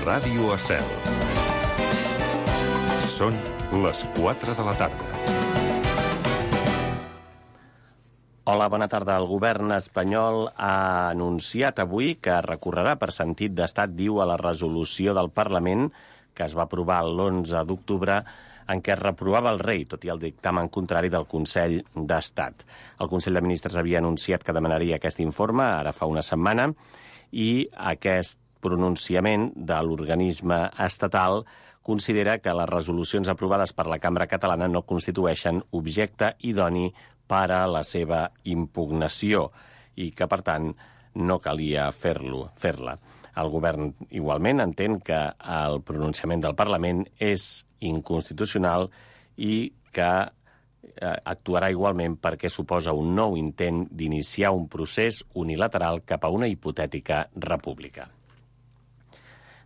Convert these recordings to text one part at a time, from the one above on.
Ràdio Estel. Són les 4 de la tarda. Hola, bona tarda. El govern espanyol ha anunciat avui que recorrerà per sentit d'estat, diu, a la resolució del Parlament que es va aprovar l'11 d'octubre en què es reprovava el rei, tot i el dictamen contrari del Consell d'Estat. El Consell de Ministres havia anunciat que demanaria aquest informe ara fa una setmana i aquest pronunciament de l'organisme estatal considera que les resolucions aprovades per la Cambra Catalana no constitueixen objecte idoni per a la seva impugnació i que, per tant, no calia fer-la. El govern igualment entén que el pronunciament del Parlament és inconstitucional i que actuarà igualment perquè suposa un nou intent d'iniciar un procés unilateral cap a una hipotètica república.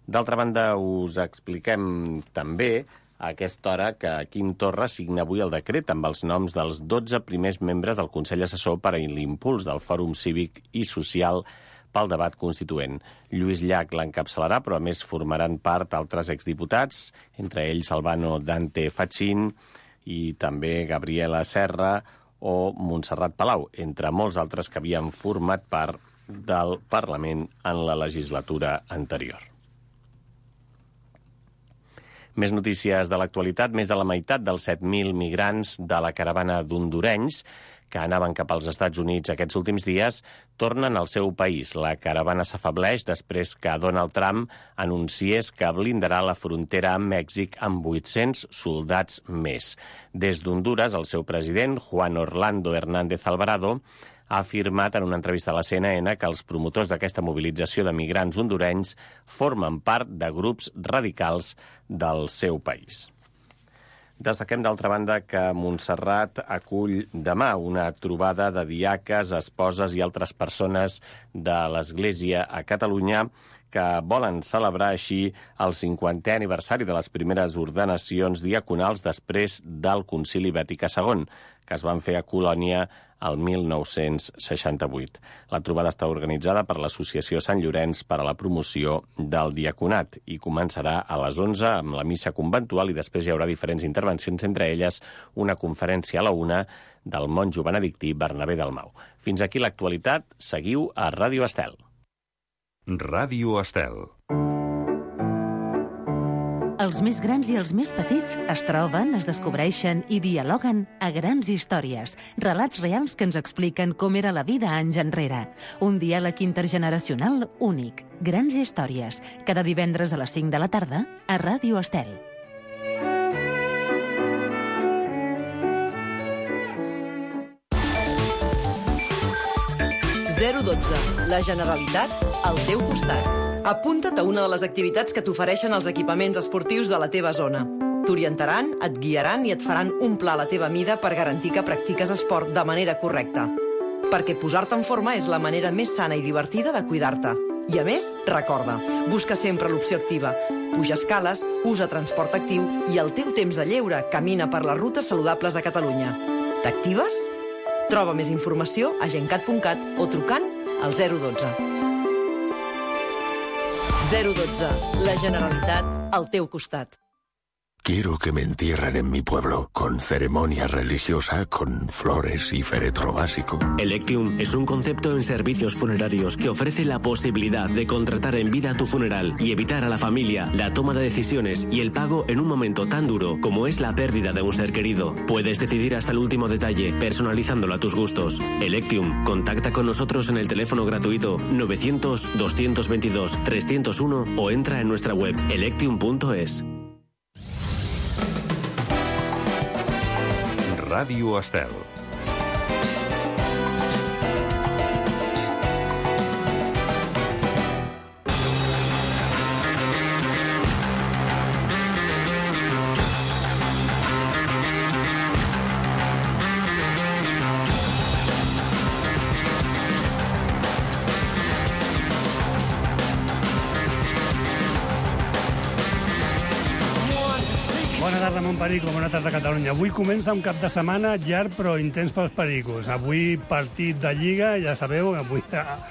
D'altra banda, us expliquem també a aquesta hora que Quim Torra signa avui el decret amb els noms dels 12 primers membres del Consell Assessor per a l'impuls del Fòrum Cívic i Social pel debat constituent. Lluís Llach l'encapçalarà, però a més formaran part altres exdiputats, entre ells Albano Dante Fachin i també Gabriela Serra o Montserrat Palau, entre molts altres que havien format part del Parlament en la legislatura anterior. Més notícies de l'actualitat. Més de la meitat dels 7.000 migrants de la caravana d'hondurenys que anaven cap als Estats Units aquests últims dies tornen al seu país. La caravana s'afableix després que Donald Trump anunciés que blindarà la frontera amb Mèxic amb 800 soldats més. Des d'Hondures, el seu president, Juan Orlando Hernández Alvarado, ha afirmat en una entrevista a la CNN que els promotors d'aquesta mobilització de migrants hondurenys formen part de grups radicals del seu país. Destaquem, d'altra banda, que Montserrat acull demà una trobada de diaques, esposes i altres persones de l'Església a Catalunya que volen celebrar així el 50è aniversari de les primeres ordenacions diaconals després del Concili Vaticà II, que es van fer a Colònia el 1968. La trobada està organitzada per l'Associació Sant Llorenç per a la promoció del diaconat i començarà a les 11 amb la missa conventual i després hi haurà diferents intervencions, entre elles una conferència a la 1 del monjo benedictí Bernabé Dalmau. Fins aquí l'actualitat. Seguiu a Ràdio Estel. Ràdio Estel. Els més grans i els més petits es troben, es descobreixen i dialoguen a Grans Històries, relats reals que ens expliquen com era la vida anys enrere. Un diàleg intergeneracional únic. Grans Històries, cada divendres a les 5 de la tarda a Ràdio Estel. La Generalitat al teu costat. Apunta't a una de les activitats que t'ofereixen els equipaments esportius de la teva zona. T'orientaran, et guiaran i et faran un pla a la teva mida per garantir que practiques esport de manera correcta. Perquè posar-te en forma és la manera més sana i divertida de cuidar-te. I a més, recorda, busca sempre l'opció activa. Puja escales, usa transport actiu i al teu temps de lleure camina per les rutes saludables de Catalunya. T'actives? Troba més informació a gencat.cat o trucant al 012. 012. La Generalitat al teu costat. Quiero que me entierren en mi pueblo, con ceremonia religiosa, con flores y féretro básico. Electium es un concepto en servicios funerarios que ofrece la posibilidad de contratar en vida tu funeral y evitar a la familia la toma de decisiones y el pago en un momento tan duro como es la pérdida de un ser querido. Puedes decidir hasta el último detalle, personalizándolo a tus gustos. Electium, contacta con nosotros en el teléfono gratuito 900-222-301 o entra en nuestra web electium.es. Ràdio Estel. Bona tarda, Montperico, bona tarda, Catalunya. Avui comença un cap de setmana llarg però intens pels pericos. Avui partit de Lliga, ja sabeu, avui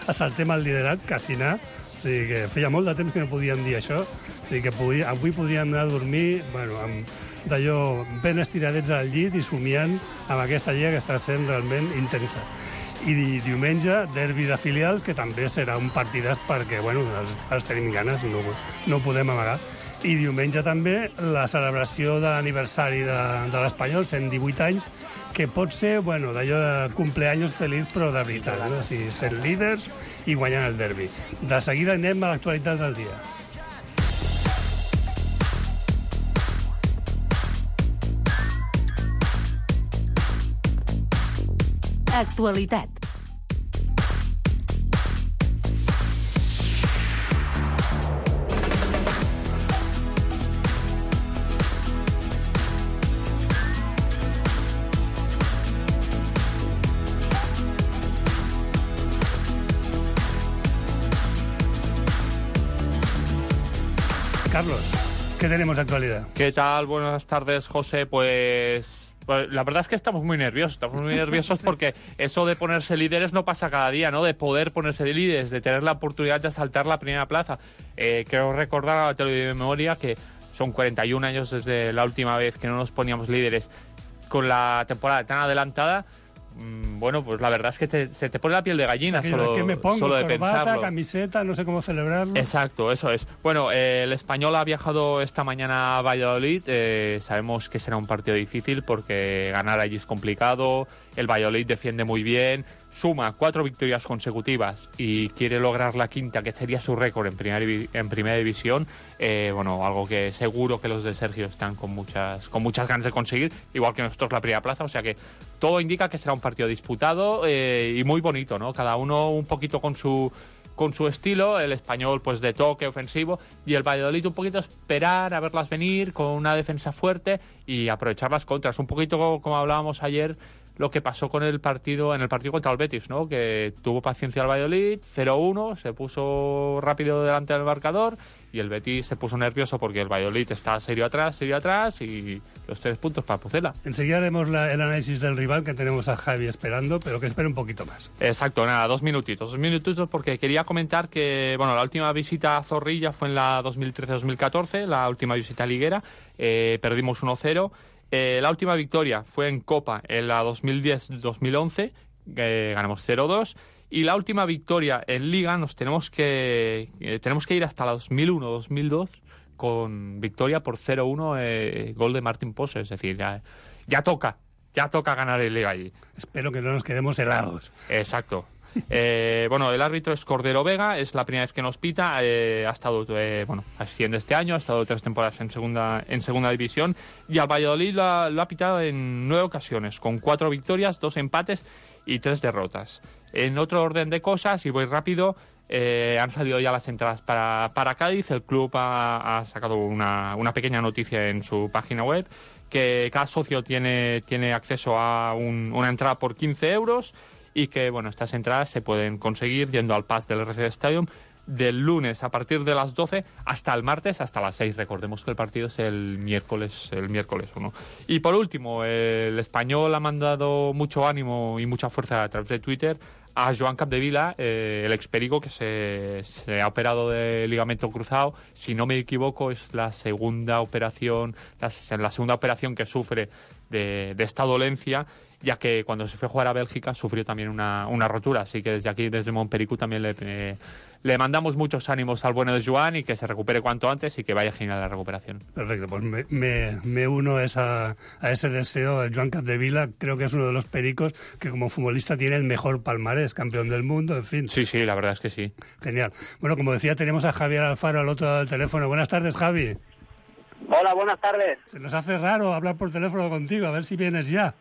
assaltem el liderat, quasi anar. O sigui que feia molt de temps que no podíem dir això. O sigui que avui podíem anar a dormir, bueno, d'allò ben estiradets al llit i somiant amb aquesta lliga que està sent realment intensa. I diumenge, derbi de filials, que també serà un partidàs perquè, bueno, els tenim ganes, no podem amagar. I diumenge també la celebració de l'aniversari de l'Espanyol, 118 anys, que pot ser, bueno, d'allò de cumpleaños feliç, però de veritat, no? O sigui, sent líders i guanyant el derbi. De seguida anem a l'actualitat del dia. Actualitat. Carlos, ¿qué tenemos de actualidad? ¿Qué tal? Buenas tardes, José. Pues la verdad es que estamos muy nerviosos porque eso de ponerse líderes no pasa cada día, ¿no? De poder ponerse líderes, de tener la oportunidad de asaltar la primera plaza. Quiero recordar, te lo digo de memoria, que son 41 años desde la última vez que no nos poníamos líderes con la temporada tan adelantada. Bueno, pues la verdad es que se te pone la piel de gallina, o sea, ¿qué me pongo? Solo de corbata, pensarlo. Camiseta, no sé cómo celebrarlo. Exacto, eso es. Bueno, el Español ha viajado esta mañana a Valladolid. Sabemos que será un partido difícil porque ganar allí es complicado. El Valladolid defiende muy bien, suma 4 victorias consecutivas y quiere lograr la quinta, que sería su récord en primera división. Bueno, algo que seguro que los de Sergio están con muchas ganas de conseguir, igual que nosotros la primera plaza. O sea que todo indica que será un partido disputado y muy bonito, ¿no? Cada uno un poquito con su estilo, el Español pues de toque ofensivo y el Valladolid un poquito esperar a verlas venir con una defensa fuerte y aprovechar las contras, un poquito como hablábamos ayer lo que pasó en el partido contra el Betis, ¿no? Que tuvo paciencia el Valladolid, 0-1, se puso rápido delante del marcador y el Betis se puso nervioso porque el Valladolid está serio atrás y los 3 puntos para Pucela. Enseguida haremos el análisis del rival, que tenemos a Javi esperando, pero que espere un poquito más. Exacto, nada, 2 minutitos porque quería comentar que, bueno, la última visita a Zorrilla fue en la 2013-2014, la última visita liguera, perdimos 1-0. La última victoria fue en Copa en la 2010-2011, ganamos 0-2. Y la última victoria en Liga tenemos que ir hasta la 2001-2002 con victoria por 0-1, gol de Martín Pose. Es decir, ya toca ganar en Liga allí. Espero que no nos quedemos helados. Exacto. Bueno, el árbitro es Cordero Vega, es la primera vez que nos pita, ha estado, asciende este año, ha estado 3 temporadas en segunda división y al Valladolid lo ha pitado en 9 ocasiones, con 4 victorias, 2 empates y 3 derrotas. En otro orden de cosas, y voy rápido, han salido ya las entradas para Cádiz. El club ha sacado una pequeña noticia en su página web, que cada socio tiene acceso a una entrada por 15 euros y que, bueno, estas entradas se pueden conseguir yendo al Pass del RC Stadium del lunes a partir de las 12 hasta el martes hasta las 6. Recordemos que el partido es el miércoles 1. Y por último, el Español ha mandado mucho ánimo y mucha fuerza a través de Twitter a Joan Capdevila, el experico que se ha operado de ligamento cruzado. Si no me equivoco, es la segunda operación que sufre de esta dolencia, ya que cuando se fue a jugar a Bélgica sufrió también una rotura. Así que desde aquí, desde Montpericu, también le mandamos muchos ánimos al bueno de Joan y que se recupere cuanto antes y que vaya genial la recuperación. Perfecto, pues me uno a ese deseo. Joan Capdevila creo que es uno de los pericos que como futbolista tiene el mejor palmarés, campeón del mundo, en fin. Sí, la verdad es que sí. Genial. Bueno, como decía, tenemos a Javier Alfaro al otro lado del teléfono. Buenas tardes, Javi. Hola, buenas tardes. Se nos hace raro hablar por teléfono contigo, a ver si vienes ya.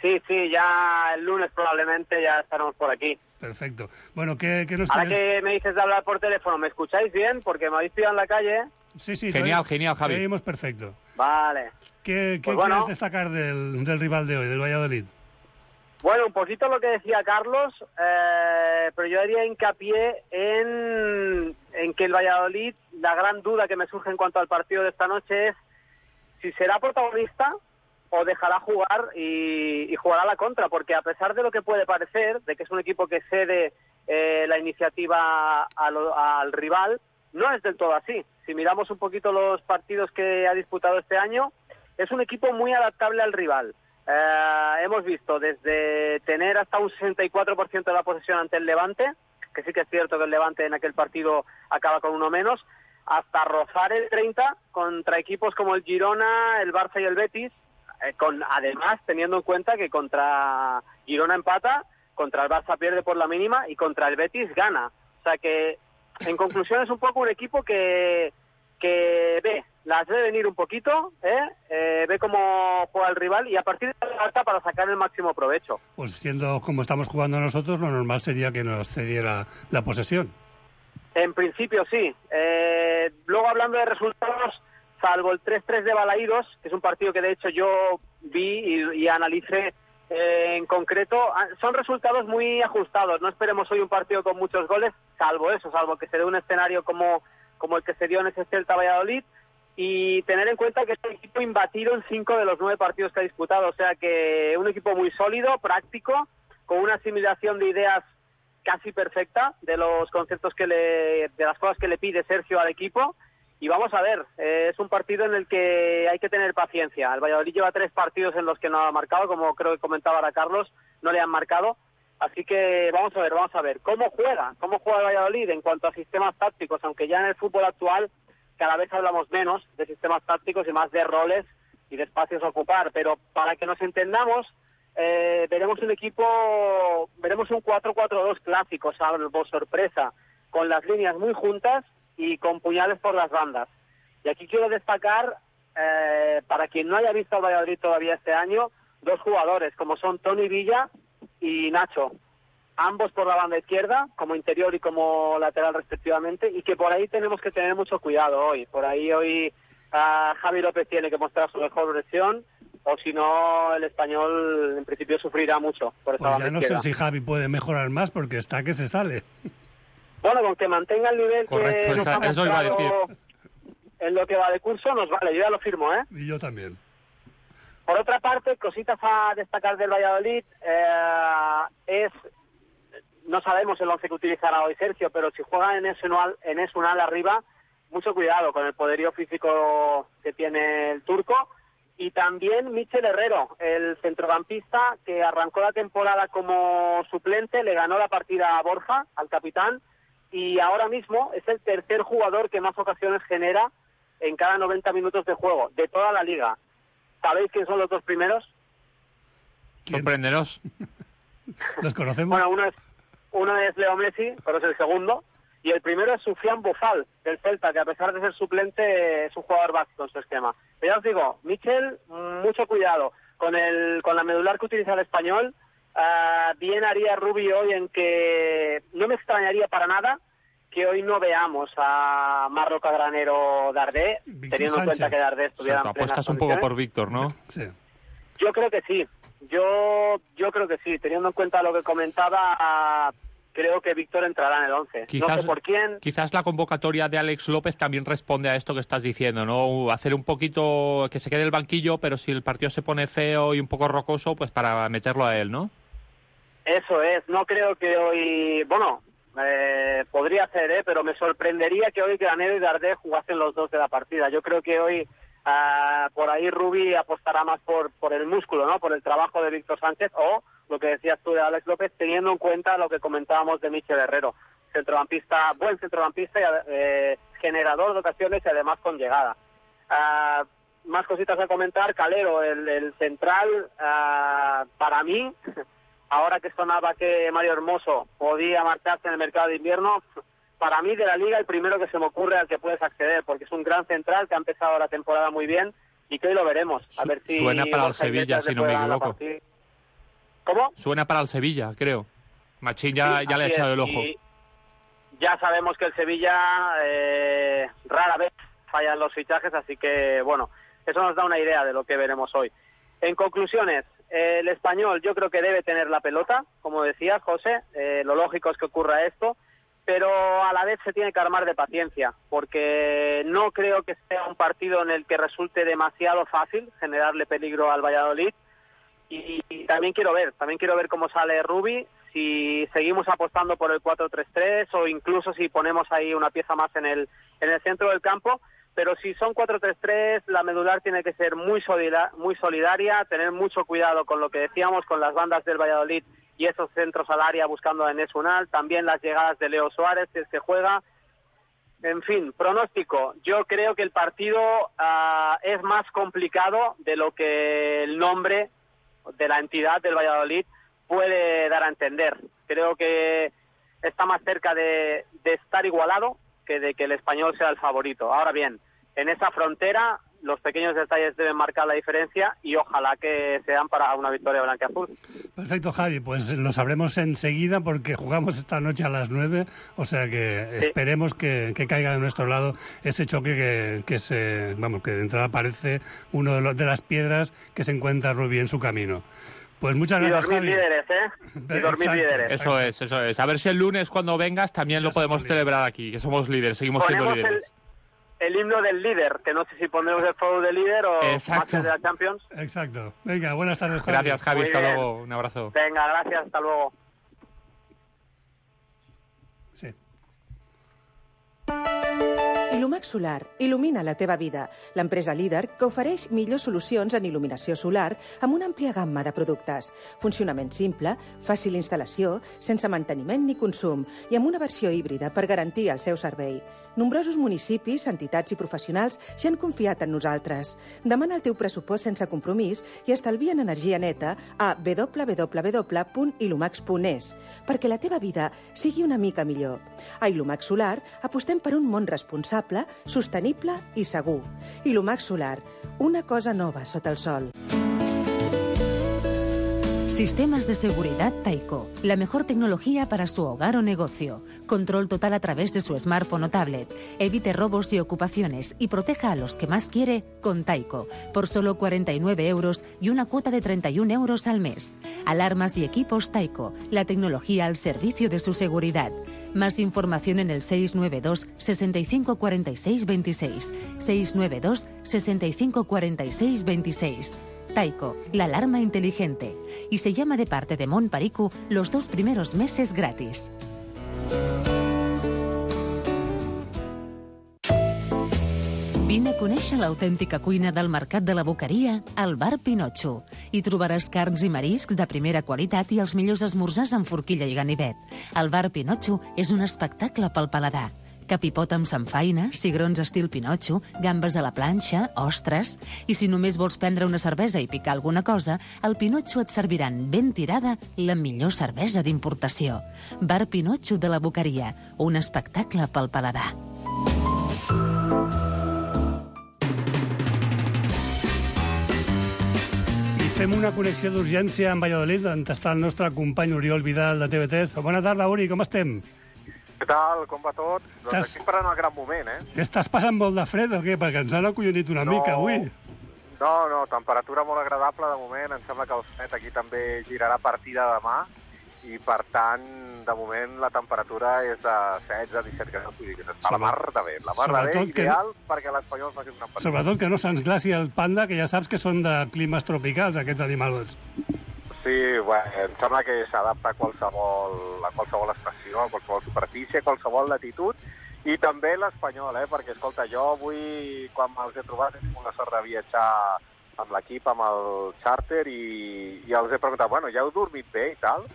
Sí, ya el lunes probablemente ya estaremos por aquí. Perfecto. Bueno, ¿qué nos Ahora puedes...? que me dices de hablar por teléfono, ¿me escucháis bien? Porque me habéis pillado en la calle. Sí. Genial, Javi. Te oímos perfecto. Vale. ¿Qué Pues quieres destacar del rival de hoy, del Valladolid? Bueno, un poquito lo que decía Carlos, pero yo haría hincapié en que el Valladolid, la gran duda que me surge en cuanto al partido de esta noche es si será protagonista o dejará jugar y jugará a la contra, porque a pesar de lo que puede parecer, de que es un equipo que cede la iniciativa al rival. No es del todo así. Si miramos un poquito los partidos que ha disputado este año, es un equipo muy adaptable al rival. Hemos visto desde tener hasta un 64% de la posesión ante el Levante, que sí que es cierto que el Levante en aquel partido acaba con uno menos, hasta rozar el 30 contra equipos como el Girona, el Barça y el Betis, además teniendo en cuenta que contra Girona empata, contra el Barça pierde por la mínima y contra el Betis gana. O sea que, en conclusión, es un poco un equipo que las ve venir un poquito, ve cómo juega el rival y a partir de la alta para sacar el máximo provecho. Pues siendo como estamos jugando nosotros, lo normal sería que nos cediera la posesión. En principio sí. Luego, hablando de resultados, salvo el 3-3 de Balaídos, que es un partido que de hecho yo vi y analicé en concreto, son resultados muy ajustados. No esperemos hoy un partido con muchos goles, salvo que se dé un escenario como el que se dio en ese Celta Valladolid, y tener en cuenta que es un equipo imbatido en 5 de los 9 partidos que ha disputado. O sea que un equipo muy sólido, práctico, con una asimilación de ideas casi perfecta de los conceptos de las cosas que le pide Sergio al equipo. Y vamos a ver, es un partido en el que hay que tener paciencia. El Valladolid lleva 3 partidos en los que no ha marcado, como creo que comentaba ahora Carlos, no le han marcado. Así que vamos a ver cómo juega el Valladolid en cuanto a sistemas tácticos, aunque ya en el fútbol actual cada vez hablamos menos de sistemas tácticos y más de roles y de espacios a ocupar. Pero para que nos entendamos, veremos un 4-4-2 clásico, salvo sorpresa, con las líneas muy juntas y con puñales por las bandas. Y aquí quiero destacar, para quien no haya visto al Valladolid todavía este año, 2 jugadores, como son Toni Villa y Nacho, ambos por la banda izquierda, como interior y como lateral respectivamente, y que por ahí tenemos que tener mucho cuidado hoy. Por ahí hoy Javi López tiene que mostrar su mejor versión, o si no el Español en principio sufrirá mucho por esa pues banda ya no izquierda. sé si Javi puede mejorar más porque está que se sale. Bueno, con que mantenga el nivel correcto, que nos ha eso iba a mostrado en lo que va de curso, nos vale, yo ya lo firmo, ¿eh? Y yo también. Por otra parte, cositas a destacar del Valladolid, no sabemos el 11 que utilizará hoy Sergio, pero si juega en Esunal arriba, mucho cuidado con el poderío físico que tiene el turco. Y también Michel Herrero, el centrocampista que arrancó la temporada como suplente, le ganó la partida a Borja, al capitán, y ahora mismo es el tercer jugador que más ocasiones genera en cada 90 minutos de juego, de toda la liga. ¿Sabéis quién son los 2 primeros? Sorpréndenos. ¿Los conocemos? Bueno, uno es Leo Messi, pero es el segundo, y el primero es Soufiane Boufal, del Celta, que a pesar de ser suplente es un jugador básico en su esquema. Pero ya os digo, Michel, mucho cuidado con la medular que utiliza el Español. Bien haría Rubi hoy en que no me extrañaría para nada que hoy no veamos a Marroca Granero Dardé, teniendo en cuenta que Dardé estuviera en plenas apuestas un poco por Víctor, ¿no? Sí. Yo creo que sí. Yo creo que sí. Teniendo en cuenta lo que comentaba, creo que Víctor entrará en el 11. No sé por quién. Quizás la convocatoria de Alex López también responde a esto que estás diciendo, ¿no? Hacer un poquito que se quede el banquillo, pero si el partido se pone feo y un poco rocoso, pues para meterlo a él, ¿no? Eso es. No creo que hoy... Bueno, podría ser, pero me sorprendería que hoy Granero y Dardé jugasen los 2 de la partida. Yo creo que hoy por ahí Rubi apostará más por el músculo, ¿no? Por el trabajo de Víctor Sánchez, o lo que decías tú de Alex López, teniendo en cuenta lo que comentábamos de Michel Herrero. Buen centrocampista y generador de ocasiones y además con llegada. Más cositas a comentar. Calero, el central, para mí, ahora que sonaba que Mario Hermoso podía marcharse en el mercado de invierno, para mí de la liga el primero que se me ocurre al que puedes acceder, porque es un gran central que ha empezado la temporada muy bien y que hoy lo veremos. A ver si suena para el Sevilla, si no me equivoco. ¿Cómo? Suena para el Sevilla, creo. Machín ya le ha echado el ojo. Y ya sabemos que el Sevilla rara vez falla en los fichajes, así que bueno, eso nos da una idea de lo que veremos hoy. En conclusiones, el Español yo creo que debe tener la pelota, como decías, José, lo lógico es que ocurra esto, pero a la vez se tiene que armar de paciencia, porque no creo que sea un partido en el que resulte demasiado fácil generarle peligro al Valladolid, y también quiero ver cómo sale Rubi, si seguimos apostando por el 4-3-3 o incluso si ponemos ahí una pieza más en el centro del campo. Pero si son 4-3-3, la medular tiene que ser muy solidaria, tener mucho cuidado con lo que decíamos, con las bandas del Valladolid y esos centros al área buscando a Enes Unal, también las llegadas de Leo Suárez, si es que juega. En fin, pronóstico. Yo creo que el partido es más complicado de lo que el nombre de la entidad del Valladolid puede dar a entender. Creo que está más cerca de estar igualado que de que el Español sea el favorito. Ahora bien, en esa frontera los pequeños detalles deben marcar la diferencia y ojalá que sean para una victoria blanquiazul. Perfecto, Javi, pues lo sabremos enseguida porque jugamos esta noche a las 9, o sea que esperemos que caiga de nuestro lado ese choque que de entrada parece uno de las piedras que se encuentra Rubí en su camino. Pues muchas gracias, Javi. Y dormir líderes, Y dormir líderes. Eso es. A ver si el lunes cuando vengas también lo podemos celebrar aquí, que somos líderes, seguimos siendo líderes. El himno del líder, que no sé si pondremos el juego del líder o matches de la Champions. Exacto. Venga, buenas tardes, Javi. Gracias, Javi. Hasta luego. Un abrazo. Venga, gracias. Hasta luego. Sí. Ilumax Solar il·lumina la teva vida. L'empresa líder que ofereix millors solucions en il·luminació solar amb una àmplia gamma de productes. Funcionament simple, fàcil instal·lació, sense manteniment ni consum i amb una versió híbrida per garantir el seu servei. Nombrosos municipis, entitats i professionals ja han confiat en nosaltres. Demana el teu pressupost sense compromís i estalvia en energia neta a www.ilumax.es perquè la teva vida sigui una mica millor. A Ilumax Solar apostem per un món responsable, sostenible i segur. Ilumax Solar, una cosa nova sota el sol. Sistemas de seguridad Taiko. La mejor tecnología para su hogar o negocio. Control total a través de su smartphone o tablet. Evite robos y ocupaciones y proteja a los que más quiere con Taiko. Por solo 49 euros y una cuota de 31 euros al mes. Alarmas y equipos Taiko. La tecnología al servicio de su seguridad. Más información en el 692 65 46 26. 692 65 46 26. Taiko, la alarma inteligente. Y se llama de parte de Mont Paricu los 2 primeros meses gratis. Vine a conèixer l'autèntica cuina del Mercat de la Boqueria al Bar Pinotxo. Hi trobaràs carns i mariscs de primera qualitat i els millors esmorzars amb forquilla i ganivet. El Bar Pinotxo és un espectacle pel paladar. Capipot amb samfaina, cigrons estil Pinotxo, gambes a la planxa, ostres... I si només vols prendre una cervesa i picar alguna cosa, al Pinotxo et serviran ben tirada la millor cervesa d'importació. Bar Pinotxo de la Boqueria, un espectacle pel paladar. Fem una connexió d'urgència amb Valladolid, on està el nostre company Oriol Vidal de TV3. Bona tarda, Uri, com estem? Què tal? Com va tot? Doncs aquí esperant el gran moment, Estàs passant molt de fred o què? Perquè ens han acollonit una mica avui. No, temperatura molt agradable de moment. Em sembla que el fred aquí també girarà a partir de demà i, per tant, de moment la temperatura és de 16-17 graus. Vull dir que s'està la mar de bé. La mar de bé, ideal perquè l'Espanyol faci una partida. Sobretot que no se'ns glaci el panda, que ja saps que són de climes tropicals, aquests animals. Sí, bueno, em sembla que s'adapta a qualsevol estació, a qualsevol superfície, a qualsevol latitud, i també l'Espanyol, perquè, escolta, jo avui, quan me'ls he trobat, he tingut la sort de viatjar amb l'equip, amb el xàrter, i els he preguntat, bueno, ja heu dormit bé i tal?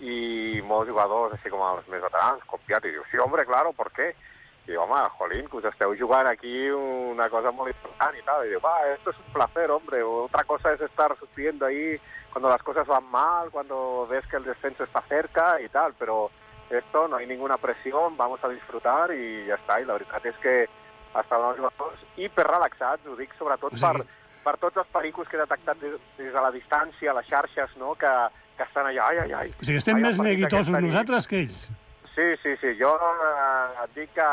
I molts jugadors, així com els més veterans, confiat, i diu, sí, hombre, claro, ¿por qué? I diu, home, jolín, que us esteu jugant aquí una cosa molt important i tal. I diu, esto es un placer, hombre. Otra cosa es estar sufriendo ahí cuando las cosas van mal, cuando ves que el descenso está cerca y tal, pero esto no hay ninguna presión, vamos a disfrutar i ja està. I la veritat és que estaven els jugadors hiperrelaxats, ho dic sobretot per tots els pericos que he detectat des de la distància, les xarxes, no?, que estan allà, ai. O sigui, estem més neguitosos nosaltres que ells. Sí, jo et dic que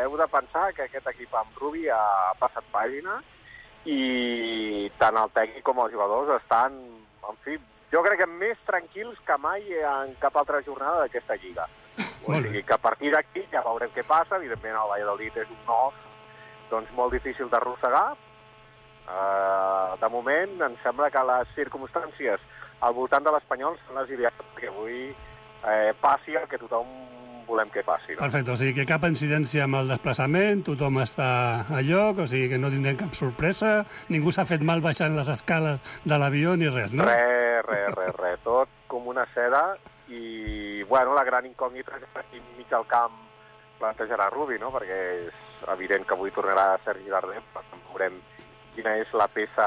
heu de pensar que aquest equip amb Rubi ha passat pàgina i tant el tècnic com els jugadors estan, en fi, jo crec que més tranquils que mai en cap altra jornada d'aquesta lliga. O sigui que a partir d'aquí ja veurem què passa. Evidentment el Valladolid és un os doncs molt difícil d'arrossegar. De moment em sembla que les circumstàncies al voltant de l'Espanyol són les idees que avui passi el que tothom volem que passi. No? Perfecte, o sigui que cap incidència amb el desplaçament, tothom està a lloc, o sigui que no tindrem cap sorpresa, ningú s'ha fet mal baixant les escales de l'avió ni res, no? Res, tot com una seda i, bueno, la gran incògnita és que aquí enmig del camp plantejarà Rubi, no? Perquè és evident que avui tornarà Sergi Darder, però veurem quina és la peça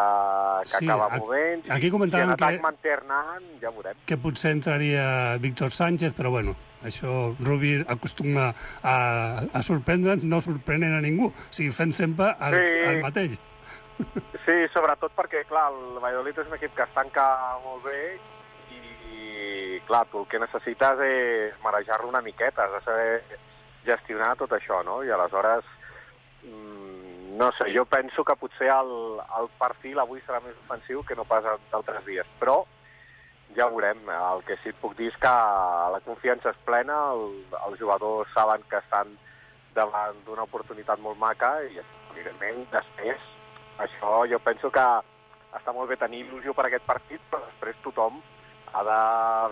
que acaba movent. Aquí comentàvem si en atac manté Hernán, ja veurem. Que potser entraria Víctor Sánchez, però bueno, això Rubi acostuma a sorprendre'ns, no sorprenent a ningú, o sigui, fent sempre el mateix. Sí, sobretot perquè, clar, el Valladolid és un equip que es tanca molt bé i, clar, tu el que necessites és marejar-lo una miqueta, has de saber gestionar tot això, no? I aleshores, no sé, jo penso que potser el perfil avui serà més ofensiu que no pas d'altres dies, però ja ho veurem. El que sí et puc dir és que la confiança és plena, els jugadors saben que estan davant d'una oportunitat molt maca i, evidentment, després, això jo penso que està molt bé tenir il·lusió per aquest partit, però després tothom ha de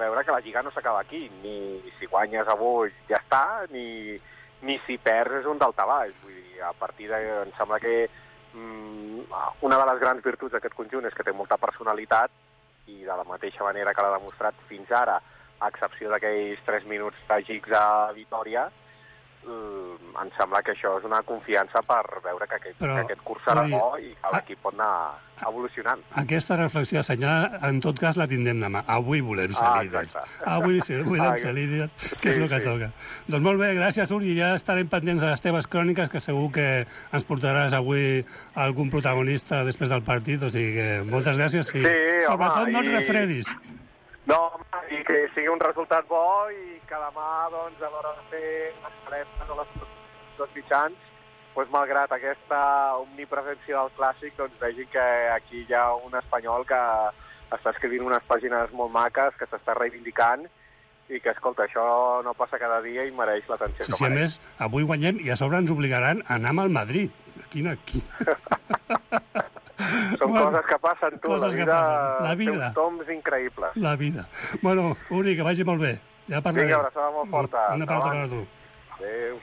veure que la Lliga no s'acaba aquí. Ni si guanyes avui ja està, ni si perds és un daltabaix. Vull dir, a partir de... Em sembla que una de les grans virtuts d'aquest conjunt és que té molta personalitat i de la mateixa manera que l'ha demostrat fins ara, a excepció d'aquells 3 minuts tràgics a Vitòria, em sembla que això és una confiança per veure que aquest curs serà bo i que l'equip pot anar evolucionant. Aquesta reflexió assenyada, en tot cas, la tindrem demà. Avui volem ser líders. Avui volem ser líders, que és el que toca. Doncs molt bé, gràcies, Uri. Ja estarem pendents de les teves cròniques, que segur que ens portaràs avui algun protagonista després del partit. O sigui que moltes gràcies i sobretot no et refredis. No, i que sigui un resultat bo i que demà, doncs, a l'hora de fer les dos mitjans, doncs, malgrat aquesta omnipresència del clàssic, doncs vegin que aquí hi ha un espanyol que està escrivint unes pàgines molt maques, que s'està reivindicant i que, escolta, això no passa cada dia i mereix l'atenció que mereix. Sí, a més, avui guanyem i a sobre ens obligaran a anar amb el Madrid. Quina... Són coses que passen, tu. La vida. Té uns toms increïbles. La vida. Bueno, Uri, que vagi molt bé. Ja parlarem. Vinga, abraçada molt forta. Una abraçada per a tu. Adéu.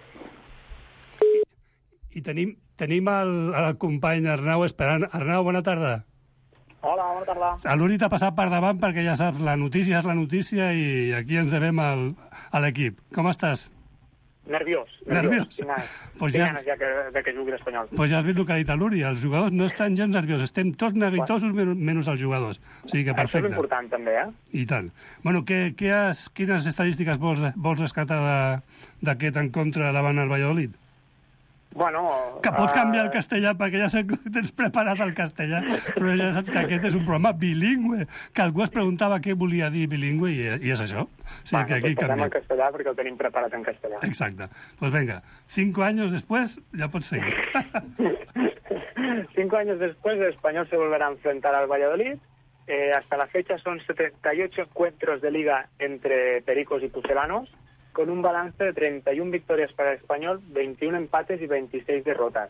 I tenim el company Arnau esperant. Arnau, bona tarda. Hola, bona tarda. L'Uri t'ha passat per davant perquè ja saps, la notícia és la notícia i aquí ens devem a l'equip. Com estàs? Nerviós. Pues tinc ganes ja que jugui l'Espanyol. Pues ja has vist el que ha dit l'Uri, els jugadors no estan gens nerviosos, estem tots neguitosos menys els jugadors. O sigui que perfecte. Això és important també, I tant. Bueno, quines estadístiques vols rescatar d'aquest encontre davant el Valladolid? Bueno... Que pots canviar el castellà, perquè ja sé que tens preparat el castellà, però ja saps que aquest és un programa bilingüe, que algú es preguntava què volia dir bilingüe i és això. O sigui que aquí canviem el castellà perquè el tenim preparat en castellà. Exacte. Pues venga, 5 años después ya pots seguir. 5 años después el Español se volverá a enfrentar al Valladolid. Hasta la fecha son 78 encuentros de liga entre pericos y pucelanos, con un balance de 31 victorias para el Español, 21 empates y 26 derrotas.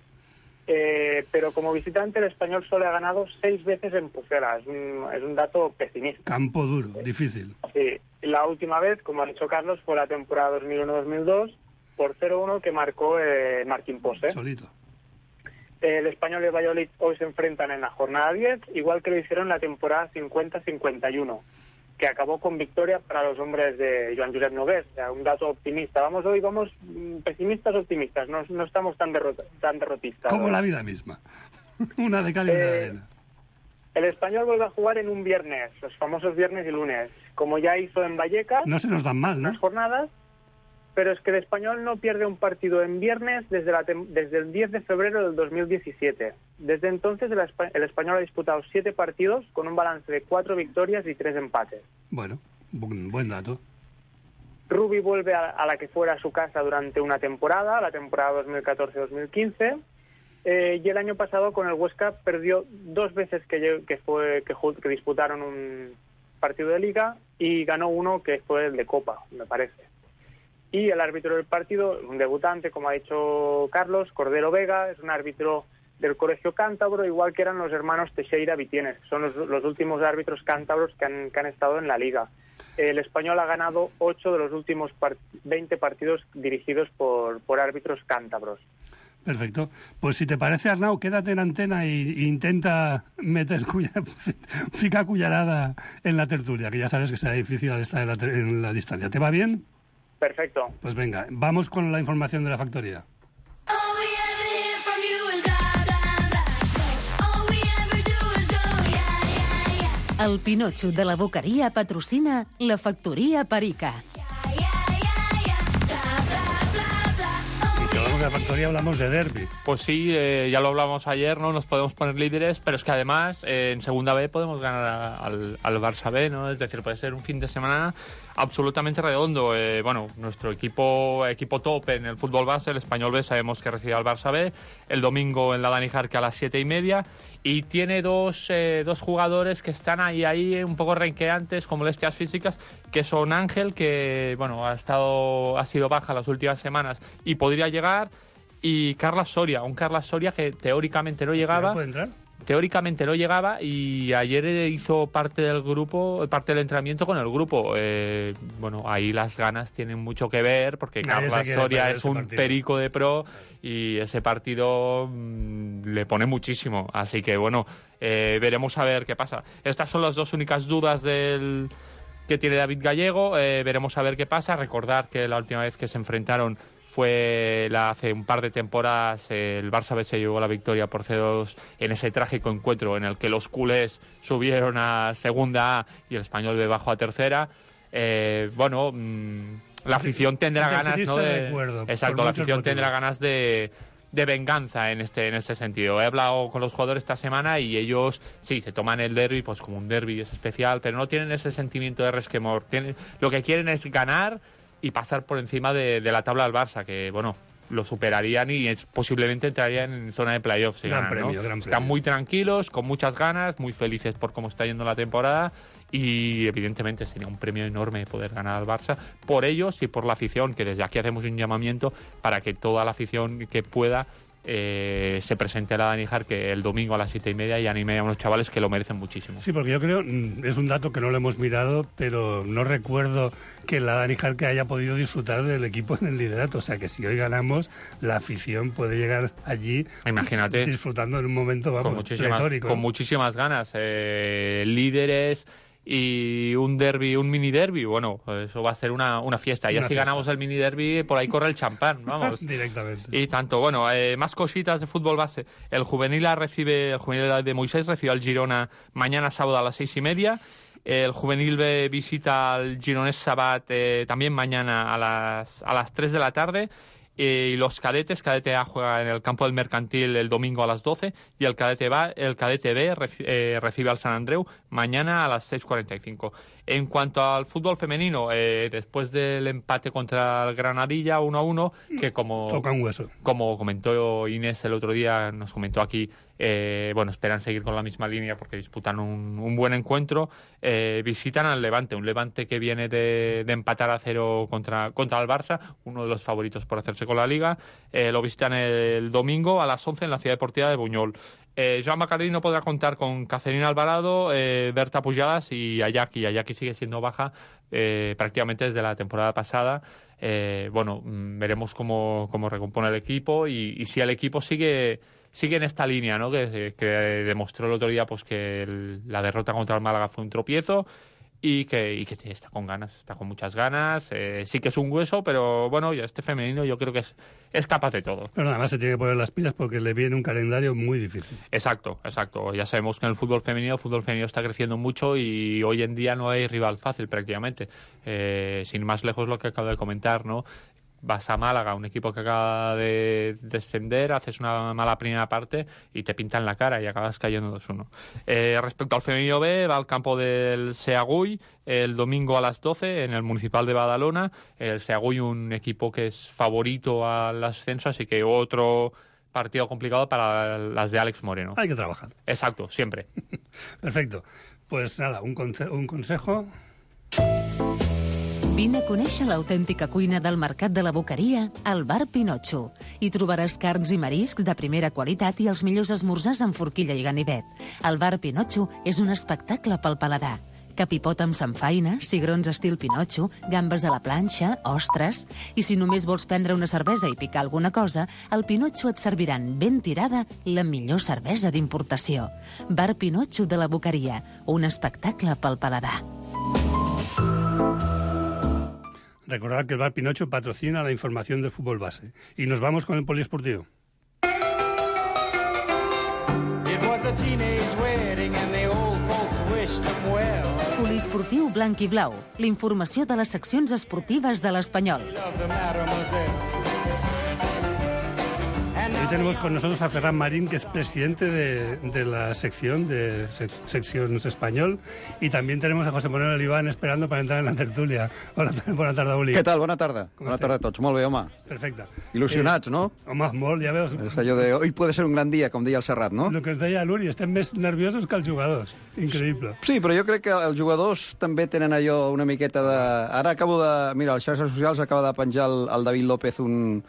Pero como visitante el Español solo ha ganado 6 veces en Pucela. Es un dato pesimista. Campo duro, difícil. Sí. La última vez, como ha dicho Carlos, fue la temporada 2001-2002, por 0-1 que marcó Martín Pose. Solito. El Español y el Valladolid hoy se enfrentan en la jornada 10, igual que lo hicieron en la temporada 50-51. Que acabó con victoria para los hombres de Joan Josep Nogués. O sea, un dato optimista. Vamos pesimistas optimistas, no estamos tan derrotistas. Como la vida misma. Una de cal y una de arena. El Español vuelve a jugar en un viernes, los famosos viernes y lunes, como ya hizo en Vallecas. No se nos dan mal, ¿no? Las jornadas, pero es que el Español no pierde un partido en viernes desde el 10 de febrero del 2017. Desde entonces el Español ha disputado 7 partidos con un balance de 4 victorias y 3 empates. Bueno, buen dato. Rubi vuelve a la que fuera su casa durante una temporada, la temporada 2014-2015, y el año pasado con el Huesca perdió 2 veces que disputaron un partido de Liga y ganó uno que fue el de Copa, me parece. Y el árbitro del partido, un debutante, como ha dicho Carlos, Cordero Vega, es un árbitro del Colegio Cántabro, igual que eran los hermanos Teixeira Vitienes. Son los últimos árbitros cántabros que han estado en la Liga. El Español ha ganado 8 de los últimos 20 partidos dirigidos por árbitros cántabros. Perfecto. Pues si te parece, Arnau, quédate en antena e intenta ficar cullerada en la tertulia, que ya sabes que será difícil al estar en la distancia. ¿Te va bien? Perfecto. Pues venga, vamos con la información de la factoría. El Pinotxo de la Boqueria patrocina la Factoría Perica. De la factoría hablamos de derbi. Pues sí, ya lo hablamos ayer, ¿no? Nos podemos poner líderes, pero es que además en segunda B podemos ganar al Barça B, ¿no? Es decir, puede ser un fin de semana absolutamente redondo. Bueno, nuestro equipo top en el fútbol base, el Español B, sabemos que recibe al Barça B el domingo en la Dani Jarque a las 7:30, y tiene dos jugadores que están ahí un poco renqueantes con molestias físicas, que son Ángel, que bueno, ha sido baja las últimas semanas y podría llegar, y Carlas Soria, que teóricamente no llegaba. ¿Puede entrar? Teóricamente no llegaba, y ayer hizo parte del entrenamiento con el grupo. Bueno, ahí las ganas tienen mucho que ver, porque Carlas Soria es un perico de pro, y ese partido le pone muchísimo. Así que bueno, veremos a ver qué pasa. Estas son las dos únicas dudas que tiene David Gallego. Veremos a ver qué pasa. Recordar que la última vez que se enfrentaron fue hace un par de temporadas. El Barça B se llevó la victoria por 0-2 en ese trágico encuentro en el que los culés subieron a segunda A y el Español B bajó a tercera. Bueno, la afición tendrá ganas, ¿no? Exacto, la afición tendrá ganas de venganza en este sentido. He hablado con los jugadores esta semana y ellos sí se toman el derbi pues como un derbi, es especial, pero no tienen ese sentimiento de resquemor. Lo que quieren es ganar y pasar por encima de la tabla del Barça, que bueno, lo superarían y posiblemente entrarían en zona de playoffs. Gran premio. Están muy tranquilos, con muchas ganas, muy felices por cómo está yendo la temporada, y evidentemente sería un premio enorme poder ganar al Barça por ellos y por la afición, que desde aquí hacemos un llamamiento para que toda la afición que pueda se presente a la Dani Jarque el domingo a las 7:30 y anime a unos chavales que lo merecen muchísimo. Sí, porque yo creo, es un dato que no lo hemos mirado, pero no recuerdo que la Dani Jarque haya podido disfrutar del equipo en el liderato. O sea que si hoy ganamos, la afición puede llegar allí, imagínate, disfrutando en un momento, vamos, pletórico. Con muchísimas ganas. Líderes y un derbi, un mini derbi, bueno, eso va a ser una fiesta. Ya si ganamos el mini derbi, por ahí corre el champán, vamos. Directamente. Y tanto, bueno, más cositas de fútbol base. El juvenil de Moisés recibe al Girona mañana sábado a las 6:30. El juvenil B visita al Gironès Sabat también mañana a las 3 de la tarde. Y los cadetes, cadete A juega en el campo del Mercantil el domingo a las 12, y el cadete B recibe al Sant Andreu mañana a las 6:45. En cuanto al fútbol femenino, después del empate contra el Granadilla 1-1, que toca un hueso. Como comentó Inés el otro día, nos comentó aquí, bueno, esperan seguir con la misma línea porque disputan un buen encuentro. Visitan al Levante, un Levante que viene de empatar a 0 contra el Barça, uno de los favoritos por hacerse con la Liga. Lo visitan el domingo a las 11 en la Ciudad Deportiva de Buñol. Joan Bacardí no podrá contar con Cacerina Alvarado, Berta Pujadas y Ayaki. Ayaki sigue siendo baja prácticamente desde la temporada pasada. Bueno, veremos cómo recompone el equipo y si el equipo sigue en esta línea, ¿no? Que demostró el otro día pues que la derrota contra el Málaga fue un tropiezo. Y que está con ganas, está con muchas ganas. Sí que es un hueso, pero bueno, este femenino yo creo que es capaz de todo. Pero nada más se tiene que poner las pilas porque le viene un calendario muy difícil. Exacto. Ya sabemos que en el fútbol femenino está creciendo mucho y hoy en día no hay rival fácil prácticamente. Sin más lejos lo que acabo de comentar, ¿no? Vas a Málaga, un equipo que acaba de descender, haces una mala primera parte y te pintan la cara y acabas cayendo 2-1. Respecto al femenino B, va al campo del Seaguy el domingo a las 12 en el Municipal de Badalona. El Seaguy, un equipo que es favorito al ascenso, así que otro partido complicado para las de Alex Moreno. Hay que trabajar. Exacto, siempre. Perfecto. Pues nada, un consejo. Vine a conèixer l'autèntica cuina del Mercat de la Boqueria al Bar Pinotxo. Hi trobaràs carns i mariscs de primera qualitat i els millors esmorzars amb forquilla i ganivet. El Bar Pinotxo és un espectacle pel paladar. Capipot amb samfaina, cigrons estil Pinotxo, gambes a la planxa, ostres... I si només vols prendre una cervesa i picar alguna cosa, al Pinotxo et serviran ben tirada la millor cervesa d'importació. Bar Pinotxo de la Boqueria, un espectacle pel paladar. Recordad que el Bar Pinotxo patrocina la información del fútbol base. Y nos vamos con el poliesportivo. Poliesportiu blanc i blau. La informació de les seccions esportives de l'Espanyol. Hoy tenemos con nosotros a Ferran Marín, que es presidente de la sección de Seccions Español, y también tenemos a José Manuel Oliván esperando para entrar en la tertulia. Hola, bona tarda, Oli. Què tal? Bona tarda. Bona tarda a tots. Molt bé, home. Perfecte. Il·lusionats, no? Home, molt, ja veus. És allò de hoy puede ser un gran dia, com deia el Serrat, no? Lo que ens deia l'Uri, estem més nerviosos que els jugadors. Increïble. Sí, però jo crec que els jugadors també tenen allò una miqueta de... Ara acabo de... Mira, als xarxes socials acaba de penjar el David López un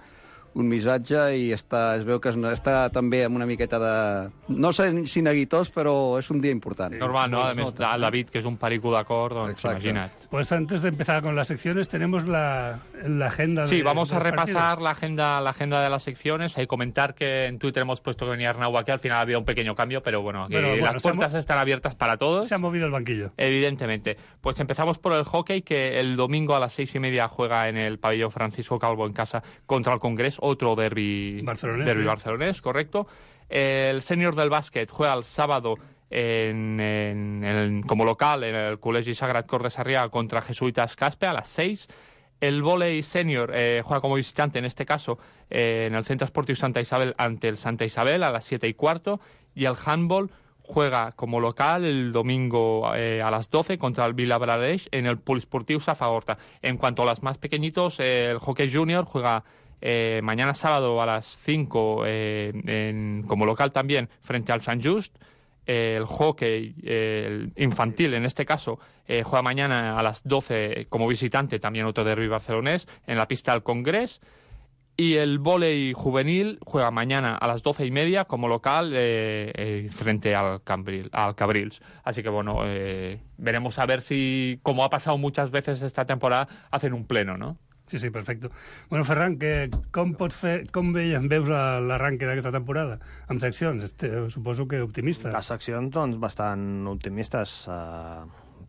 missatge i es veu que està també amb una miqueta de... No sé si neguitós, però és un dia important. Normal, ¿no? Además, el David, que es un perico de acord, doncs imagina't. Pues antes de empezar con las secciones, tenemos la agenda. Sí, vamos a repasar partidos. la agenda de las secciones. Hay que comentar que en Twitter hemos puesto que venía Arnau aquí. Al final había un pequeño cambio, pero bueno, las puertas están abiertas para todos. Se ha movido el banquillo. Evidentemente. Pues empezamos por el hockey, que el domingo a las 6:30 juega en el pabellón Francisco Calvo en casa contra el Congrés. Otro derbi barcelonés, correcto. El senior del básquet juega el sábado como local en el Col·legi Sagrat Cor de Sarrià contra Jesuitas Caspe a las 6. El vóley senior juega como visitante, en este caso, en el Centro Esportiu Santa Isabel ante el Santa Isabel a las 7:15. Y el handball juega como local el domingo a las 12 contra el Vilablareix en el Poliesportiu Safagorta. En cuanto a los más pequeñitos, el hockey junior juega mañana sábado a las 5 como local también frente al Sant Just. El hockey infantil, en este caso, juega mañana a las 12 como visitante, también otro derbi barcelonés, en la pista del Congrés. Y el vóley juvenil juega mañana a las 12:30 como local frente al Cabrils. Así que, bueno, veremos a ver si, como ha pasado muchas veces esta temporada, hacen un pleno, ¿no? Sí, sí, perfecte. Bueno, Ferran, com veus l'arranque d'aquesta temporada? Amb seccions, suposo que optimistes. Les seccions, doncs, bastant optimistes.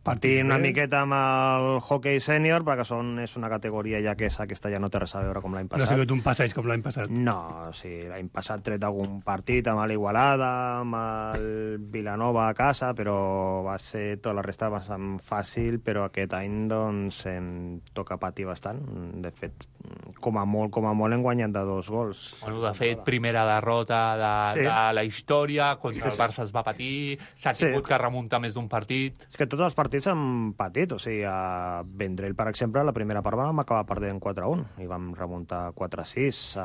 Partint una miqueta amb el hockey sènior, perquè és una categoria ja que aquesta ja no té res a veure com l'any passat. No ha sigut un passeig com l'any passat. No, sí, l'any passat tret algun partit amb l'Igualada, amb el Vilanova a casa, però va ser tota la resta bastant fàcil, però aquest any doncs em toca patir bastant. De fet, com a molt hem guanyat de 2 gols. Bueno, de fet, primera derrota de la història, contra el Barça es va patir, s'ha tingut que remuntar més d'un partit. És que tots els partits han patit, o sigui, a Vendrell, per exemple, la primera part vam acabar perdent 4-1 i vam remuntar 4-6.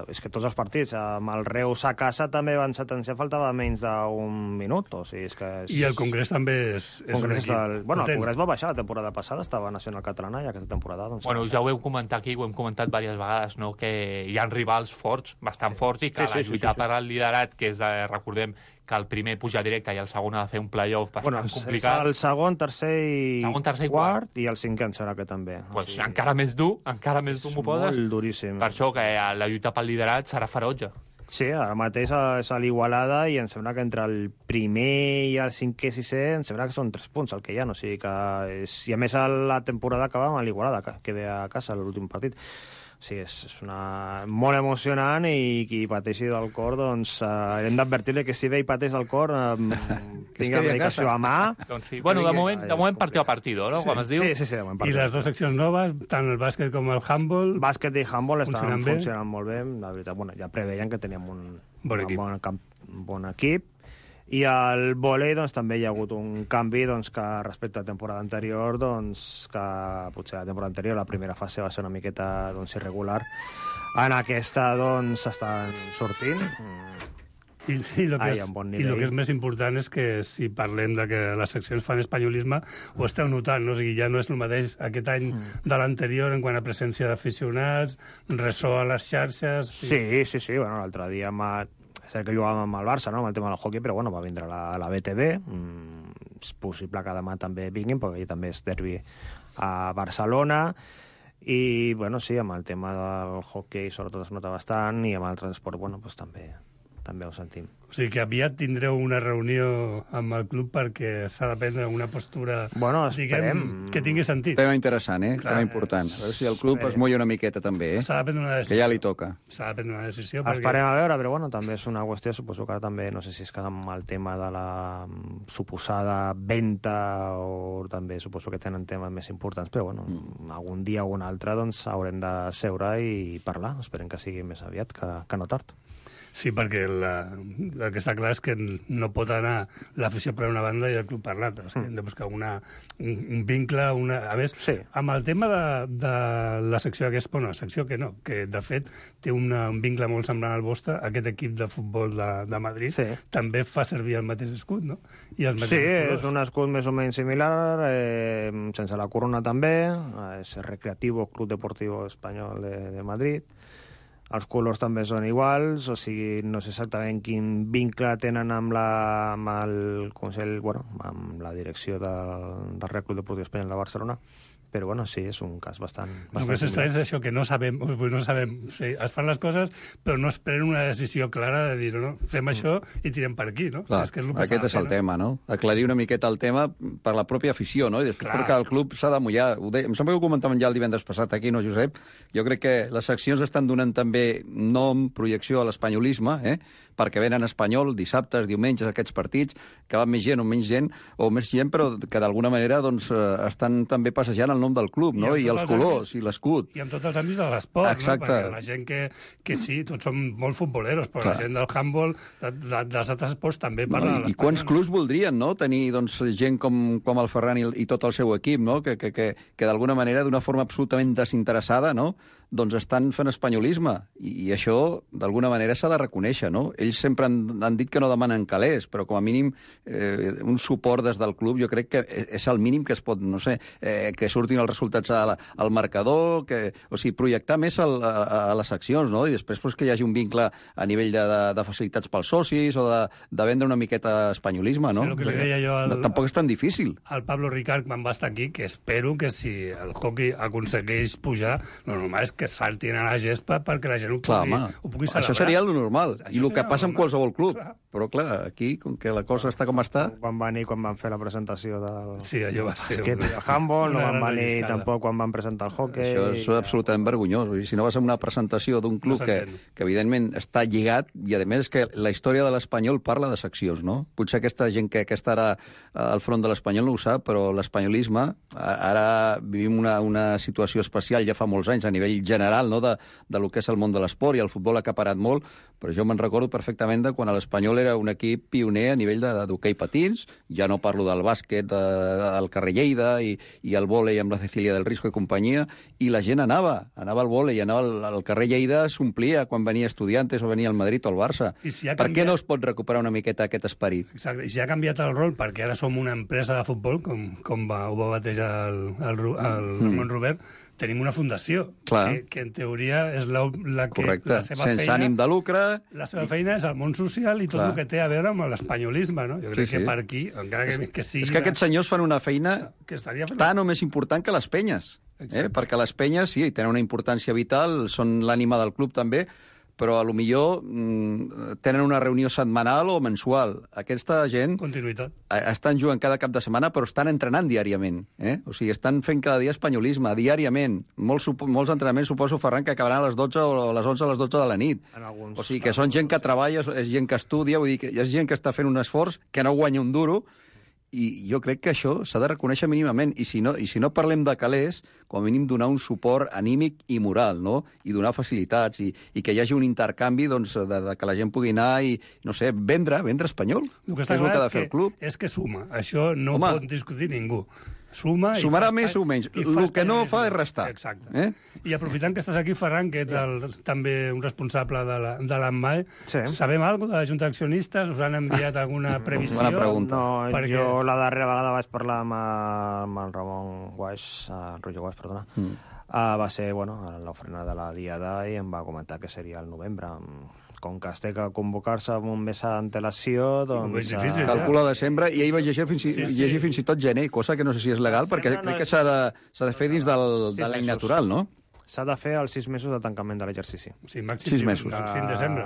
És que tots els partits, amb el Reus a casa també van sentenciar, faltava menys d'un minut, o sigui, és que... I el Congrés també és un equip. Bueno, el Congrés va baixar la temporada passada, estava Nacional Catalana, i aquesta temporada... Doncs, bueno, ja ho heu comentat aquí, ho hem comentat diverses vegades, no? Que hi ha rivals forts, bastant forts, i que la lluita per al liderat, que és, recordem, que el primer puja directe i el segon ha de fer un playoff bastant complicat. El segon, tercer i quart, i el cinquè em sembla que també. Pues encara més dur m'ho poses. Molt duríssim. Per això que la lluita pel liderat serà ferotge. Sí, ara mateix és a l'Igualada i em sembla que entre el primer i el cinquè i sisè em sembla que són 3 punts el que hi ha, o sigui que i a més la temporada acaba amb l'Igualada, que ve a casa l'últim partit. Sí, és molt emocionant i qui pateixi del cor, doncs hem d'advertir-li que si ve i pateix del cor tingui la medicació a mà. Doncs sí. Bueno, de moment partido a partido, no? Com es diu? Sí, de moment partido. I les 2 seccions noves, tant el bàsquet com el handball... Bàsquet i handball estan funcionant molt bé. La veritat, bueno, ja preveien que teníem un bon equip. I al vòlei doncs, també hi ha hagut un canvi doncs, que respecte a la temporada anterior, doncs, que potser la temporada anterior, la primera fase va ser una miqueta doncs, irregular. En aquesta doncs, estan sortint. I el que és més important és que si parlem de que les seccions fan espanyolisme, ho esteu notant, no? O sigui, ja no és el mateix aquest any de l'anterior en quant a presència d'aficionats, ressò a les xarxes... Sí. Bueno, l'altre dia sé que jugàvem amb el Barça, no?, amb el tema del hockey, però bueno, va vindre la BTV. És possible que demà també vinguin, perquè també és derbi a Barcelona. I, bueno, sí, amb el tema del hockey sobretot es nota bastant, i amb altres esports, bueno, doncs també ho sentim. O sigui que aviat tindreu una reunió amb el club perquè s'ha de prendre una postura, diguem, que tingui sentit. Tema interessant, tema important. A veure si el club es molla una miqueta també, S'ha de prendre una decisió. Que ja li toca. S'ha de prendre una decisió. Esperem a veure, però bueno, també és una qüestió, suposo que també, no sé si és que amb el tema de la suposada venda o també suposo que tenen temes més importants, però bueno, algun dia o un altre doncs haurem de seure i parlar. Esperem que sigui més aviat que no tard. Sí, perquè el que està clar és que no pot anar l'afició per una banda i el club per l'altra. Hem de buscar un vincle... A més, amb el tema de la secció aquesta, bueno, la secció que no, que de fet té un vincle molt semblant al vostre, aquest equip de futbol de Madrid també fa servir el mateix escut, no? I els mateixos colors. És un escut més o menys similar, sense la corona també, és Recreativo Club Deportivo Espanyol de Madrid. Els colors també són iguals, o sigui, no sé exactament quin vincle tenen amb el Consell, bueno, amb la direcció del Real Club Deportiu Espanyol de Barcelona, però bueno, sí, és un cas bastant el més estrany és això, que no sabem, sí, es fan les coses, però no es prenen una decisió clara de dir, no, fem això i tirem per aquí, no? Clar, aquest és el tema, no? Aclarir una miqueta el tema per la pròpia afició, no? I després perquè el club s'ha de mullar. Em sembla que ho comentàvem ja el divendres passat aquí, no, Josep? Jo crec que les seccions estan donant també nom, projecció a l'espanyolisme, perquè venen Espanyol dissabtes, diumenges, aquests partits, que van més gent o menys gent, però que d'alguna manera doncs, estan també passejant el nom del club, no? I els colors, i l'escut. I amb tots els àmbits de l'esport, no? Perquè la gent que sí, tots som molt futboleros, però la gent del handball, dels altres esports, també parla de l'espanyol. I quants clubs voldrien, no?, tenir doncs, gent com el Ferran i tot el seu equip, no?, que d'alguna manera, d'una forma absolutament desinteressada, no?, doncs estan fent espanyolisme, i això d'alguna manera s'ha de reconèixer, no? Ells sempre han dit que no demanen calés, però com a mínim un suport des del club jo crec que és el mínim que es pot, no sé, que surtin els resultats al marcador, o sigui, projectar més a les seccions, no? I després que hi hagi un vincle a nivell de facilitats pels socis o de vendre una miqueta espanyolisme, no? Sí, el que li deia jo tampoc és tan difícil. El Pablo Ricard, quan va estar aquí, que espero que si el hockey aconsegueix pujar, lo normal és que saltin a la gespa perquè la gent ho pugui celebrar. Això seria lo normal, i el que passa en qualsevol club. Però, clar, aquí, com que la cosa està com està... Quan van fer la presentació del... Sí, allò va ser... El handball, no van venir tampoc quan van presentar el hockey... Això és absolutament vergonyós. Si no vas a una presentació d'un club que evidentment està lligat, i a més que la història de l'Espanyol parla de seccions, no? Potser aquesta gent que està ara al front de l'Espanyol no ho sap, però l'espanyolisme, ara vivim una situació especial ja fa molts anys a nivell general, no?, de lo que és el món de l'esport, i el futbol ha acaparat molt, però jo me'n recordo perfectament de quan l'Espanyol era un equip pioner a nivell d'hoquei patins, ja no parlo del bàsquet del carrer Lleida i el vòlei amb la Cecília del Risco i companyia, i la gent anava al vòlei, anava al carrer Lleida, s'omplia quan venia Estudiantes o venia el Madrid o el Barça. Per què no es pot recuperar una miqueta aquest esperit? Exacte, i si ha canviat el rol, perquè ara som una empresa de futbol, com ho va batejar el Ramon Robert, tenim una fundació, que en teoria és la que... Correcte, la seva sense feina, ànim de lucre... La seva feina és el món social i tot el que té a veure amb l'espanyolisme, no? Jo crec que per aquí, encara que sigui... És que aquests senyors fan una feina tan o més important que les penyes. Perquè les penyes, sí, tenen una importància vital, són l'ànima del club també, però a lo millor tenen una reunió setmanal o mensual. Aquesta gent... Continuïtat. Estan jugant cada cap de setmana, però estan entrenant diàriament. O sigui, estan fent cada dia espanyolisme, diàriament. Molts entrenaments, suposo, Ferran, que acabaran a les 12 o a les 11 a les 12 de la nit. O sigui, que són gent que treballa, és gent que estudia, vull dir que és gent que està fent un esforç, que no guanya un duro, i jo crec que això s'ha de reconèixer mínimament, i si no parlem de calés, com a mínim donar un suport anímic i moral, no? I donar facilitats, i que hi hagi un intercanvi, doncs, de que la gent pugui anar i, no sé, vendre espanyol. El que està clar és que suma. Això no ho pot discutir ningú. Sumarà més o menys. El que no fa és restar. Exacte. I aprofitant que estàs aquí, Ferran, que ets també un responsable de l'ANMAE, sabem alguna cosa de la Junta d'Accionistes? Us han enviat alguna previsió? Bona pregunta. No, jo la darrera vegada vaig parlar amb el Ramon Guaix, Roger Guaix, perdona. Va ser, a l'ofrena de la Diada i em va comentar que seria el novembre. Com que es té que convocar-se amb un mes d'antelació, doncs... Calcula desembre, i ahir vaig llegir fins i tot gener, cosa que no sé si és legal, perquè crec que s'ha de fer dins de l'any natural, no? S'ha de fer els 6 mesos de tancament de l'exercici. Sí, màxim 6 mesos. Màxim desembre.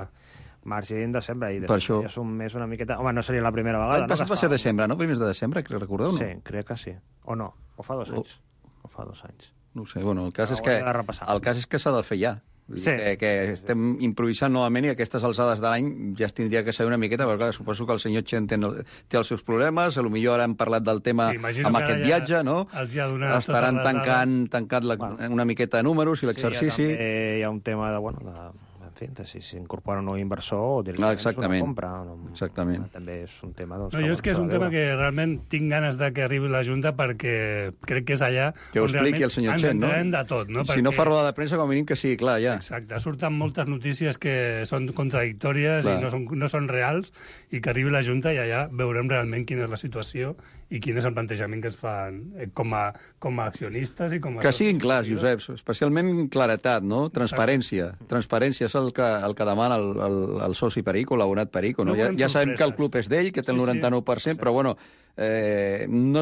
Màxim desembre, i per això és un mes una miqueta... Home, no seria la primera vegada. L'any passat va ser desembre, no? Primers de desembre, recordeu, no? Sí, crec que sí. O no, o fa 2 anys. O fa 2 anys. No ho sé, el cas és que s'ha de fer ja. Que estem improvisant novament i a aquestes alçades de l'any ja es tindria que saber una miqueta, perquè suposo que el senyor Chen té els seus problemes, potser ara hem parlat del tema amb aquest viatge, no? Estaran tancant una miqueta de números i l'exercici. Hi ha un tema de si s'incorpora un nou inversor o directament és una compra. Exactament. També és un tema... Jo és que és un tema que realment tinc ganes de que arribi la Junta perquè crec que és allà on realment ens entenem de tot. Si no fa roda de premsa, com a mínim que sigui clar, ja. Exacte. Surten moltes notícies que són contradictòries i no són reals, i que arribi la Junta i allà veurem realment quina és la situació i quin és el plantejament que es fan com a accionistes i com a... Que siguin clars, Josep, especialment claretat, no? Transparència. Transparència és el que demana el soci Perico, l'abonat Perico. Ja sabem que el club és d'ell, que té el 99%, però no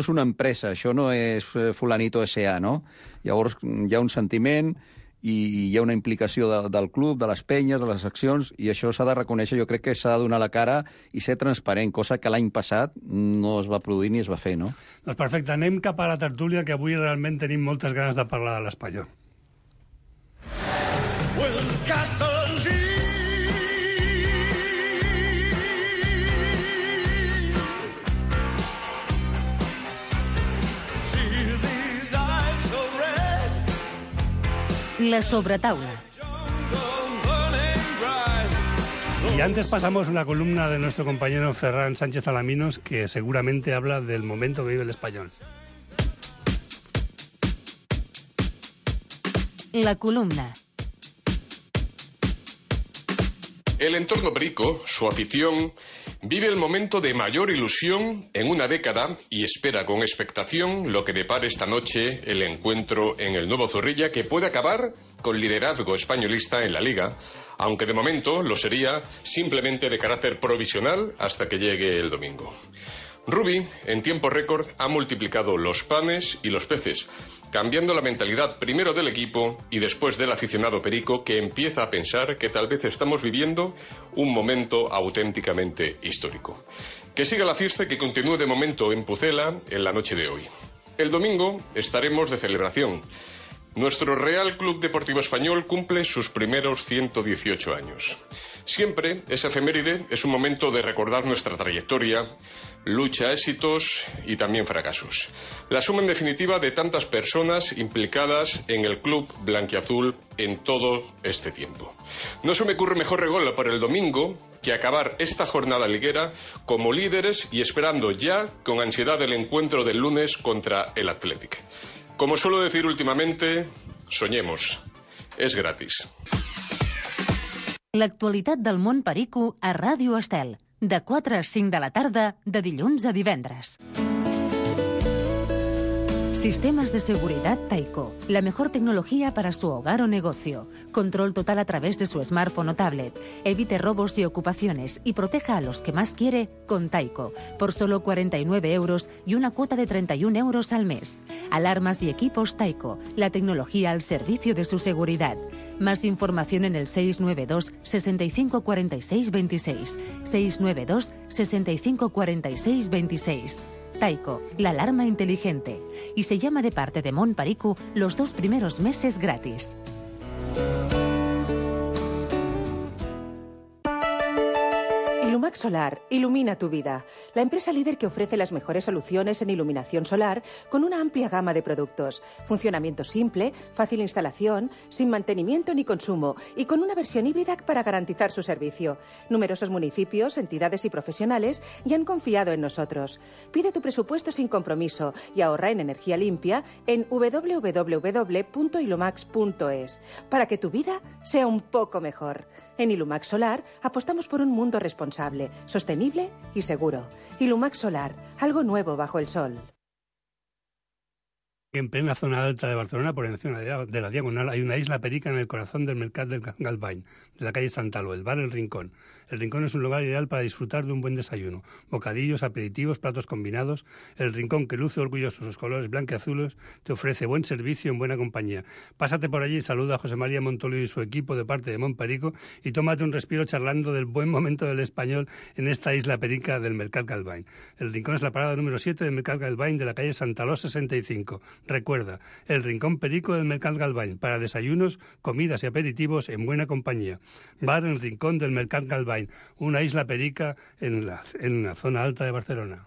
és una empresa, això no és Fulanito S.A., no? Llavors hi ha un sentiment i hi ha una implicació del club, de les penyes, de les accions, i això s'ha de reconèixer, jo crec que s'ha de donar la cara i ser transparent, cosa que l'any passat no es va produir ni es va fer, no? Doncs perfecte, anem cap a la tertúlia, que avui realment tenim moltes ganes de parlar de l'Espanyol. La sobretaula. Y antes pasamos una columna de nuestro compañero Ferran Sánchez Alaminos, que seguramente habla del momento que vive el Español. La columna. El entorno Perico, su afición, vive el momento de mayor ilusión en una década y espera con expectación lo que depare esta noche el encuentro en el nuevo Zorrilla, que puede acabar con liderazgo españolista en la Liga, aunque de momento lo sería simplemente de carácter provisional hasta que llegue el domingo. Rubi, en tiempo récord, ha multiplicado los panes y los peces, cambiando la mentalidad primero del equipo y después del aficionado Perico, que empieza a pensar que tal vez estamos viviendo un momento auténticamente histórico. Que siga la fiesta y que continúe de momento en Pucela en la noche de hoy. El domingo estaremos de celebración. Nuestro Real Club Deportivo Español cumple sus primeros 118 años. Siempre esa efeméride es un momento de recordar nuestra trayectoria, lucha, éxitos y también fracasos. La suma en definitiva de tantas personas implicadas en el club blanquiazul en todo este tiempo. No se me ocurre mejor regalo para el domingo que acabar esta jornada liguera como líderes y esperando ya con ansiedad el encuentro del lunes contra el Athletic. Como suelo decir últimamente, soñemos. És gratis. L'actualitat del món Perico a Ràdio Estel, de 4 a 5 de la tarda, de dilluns a divendres. Sistemas de seguridad Taiko. La mejor tecnología para su hogar o negocio. Control total a través de su smartphone o tablet. Evite robos y ocupaciones y proteja a los que más quiere con Taiko. Por solo 49 euros y una cuota de 31 euros al mes. Alarmas y equipos Taiko. La tecnología al servicio de su seguridad. Más información en el 692 65 46 26. 692 65 46 26. Taiko, la alarma inteligente. Y se llama de parte de Mon Perico los 2 primeros meses gratis. Ilumax Solar ilumina tu vida. La empresa líder que ofrece las mejores soluciones en iluminación solar con una amplia gama de productos. Funcionamiento simple, fácil instalación, sin mantenimiento ni consumo y con una versión híbrida para garantizar su servicio. Numerosos municipios, entidades y profesionales ya han confiado en nosotros. Pide tu presupuesto sin compromiso y ahorra en energía limpia en www.ilumax.es para que tu vida sea un poco mejor. En Ilumax Solar apostamos por un mundo responsable, sostenible y seguro. Ilumax Solar, algo nuevo bajo el sol. En plena zona alta de Barcelona, por encima de la Diagonal, hay una isla perica en el corazón del Mercat del Galvany, de la calle Santaló, el bar El Rincón. El Rincón es un lugar ideal para disfrutar de un buen desayuno. Bocadillos, aperitivos, platos combinados. El Rincón, que luce orgulloso sus colores blanqueazules, te ofrece buen servicio en buena compañía. Pásate por allí y saluda a José María Montoliu y su equipo de parte de Montperico y tómate un respiro charlando del buen momento del español en esta isla perica del Mercat Galvany. El Rincón es la parada número 7 del Mercat Galvany de la calle Santaló 65. Recuerda, el Rincón Perico del Mercat Galvany, para desayunos, comidas y aperitivos en buena compañía. Bar El Rincón del Mercat Galvany, una isla perica en la zona alta de Barcelona.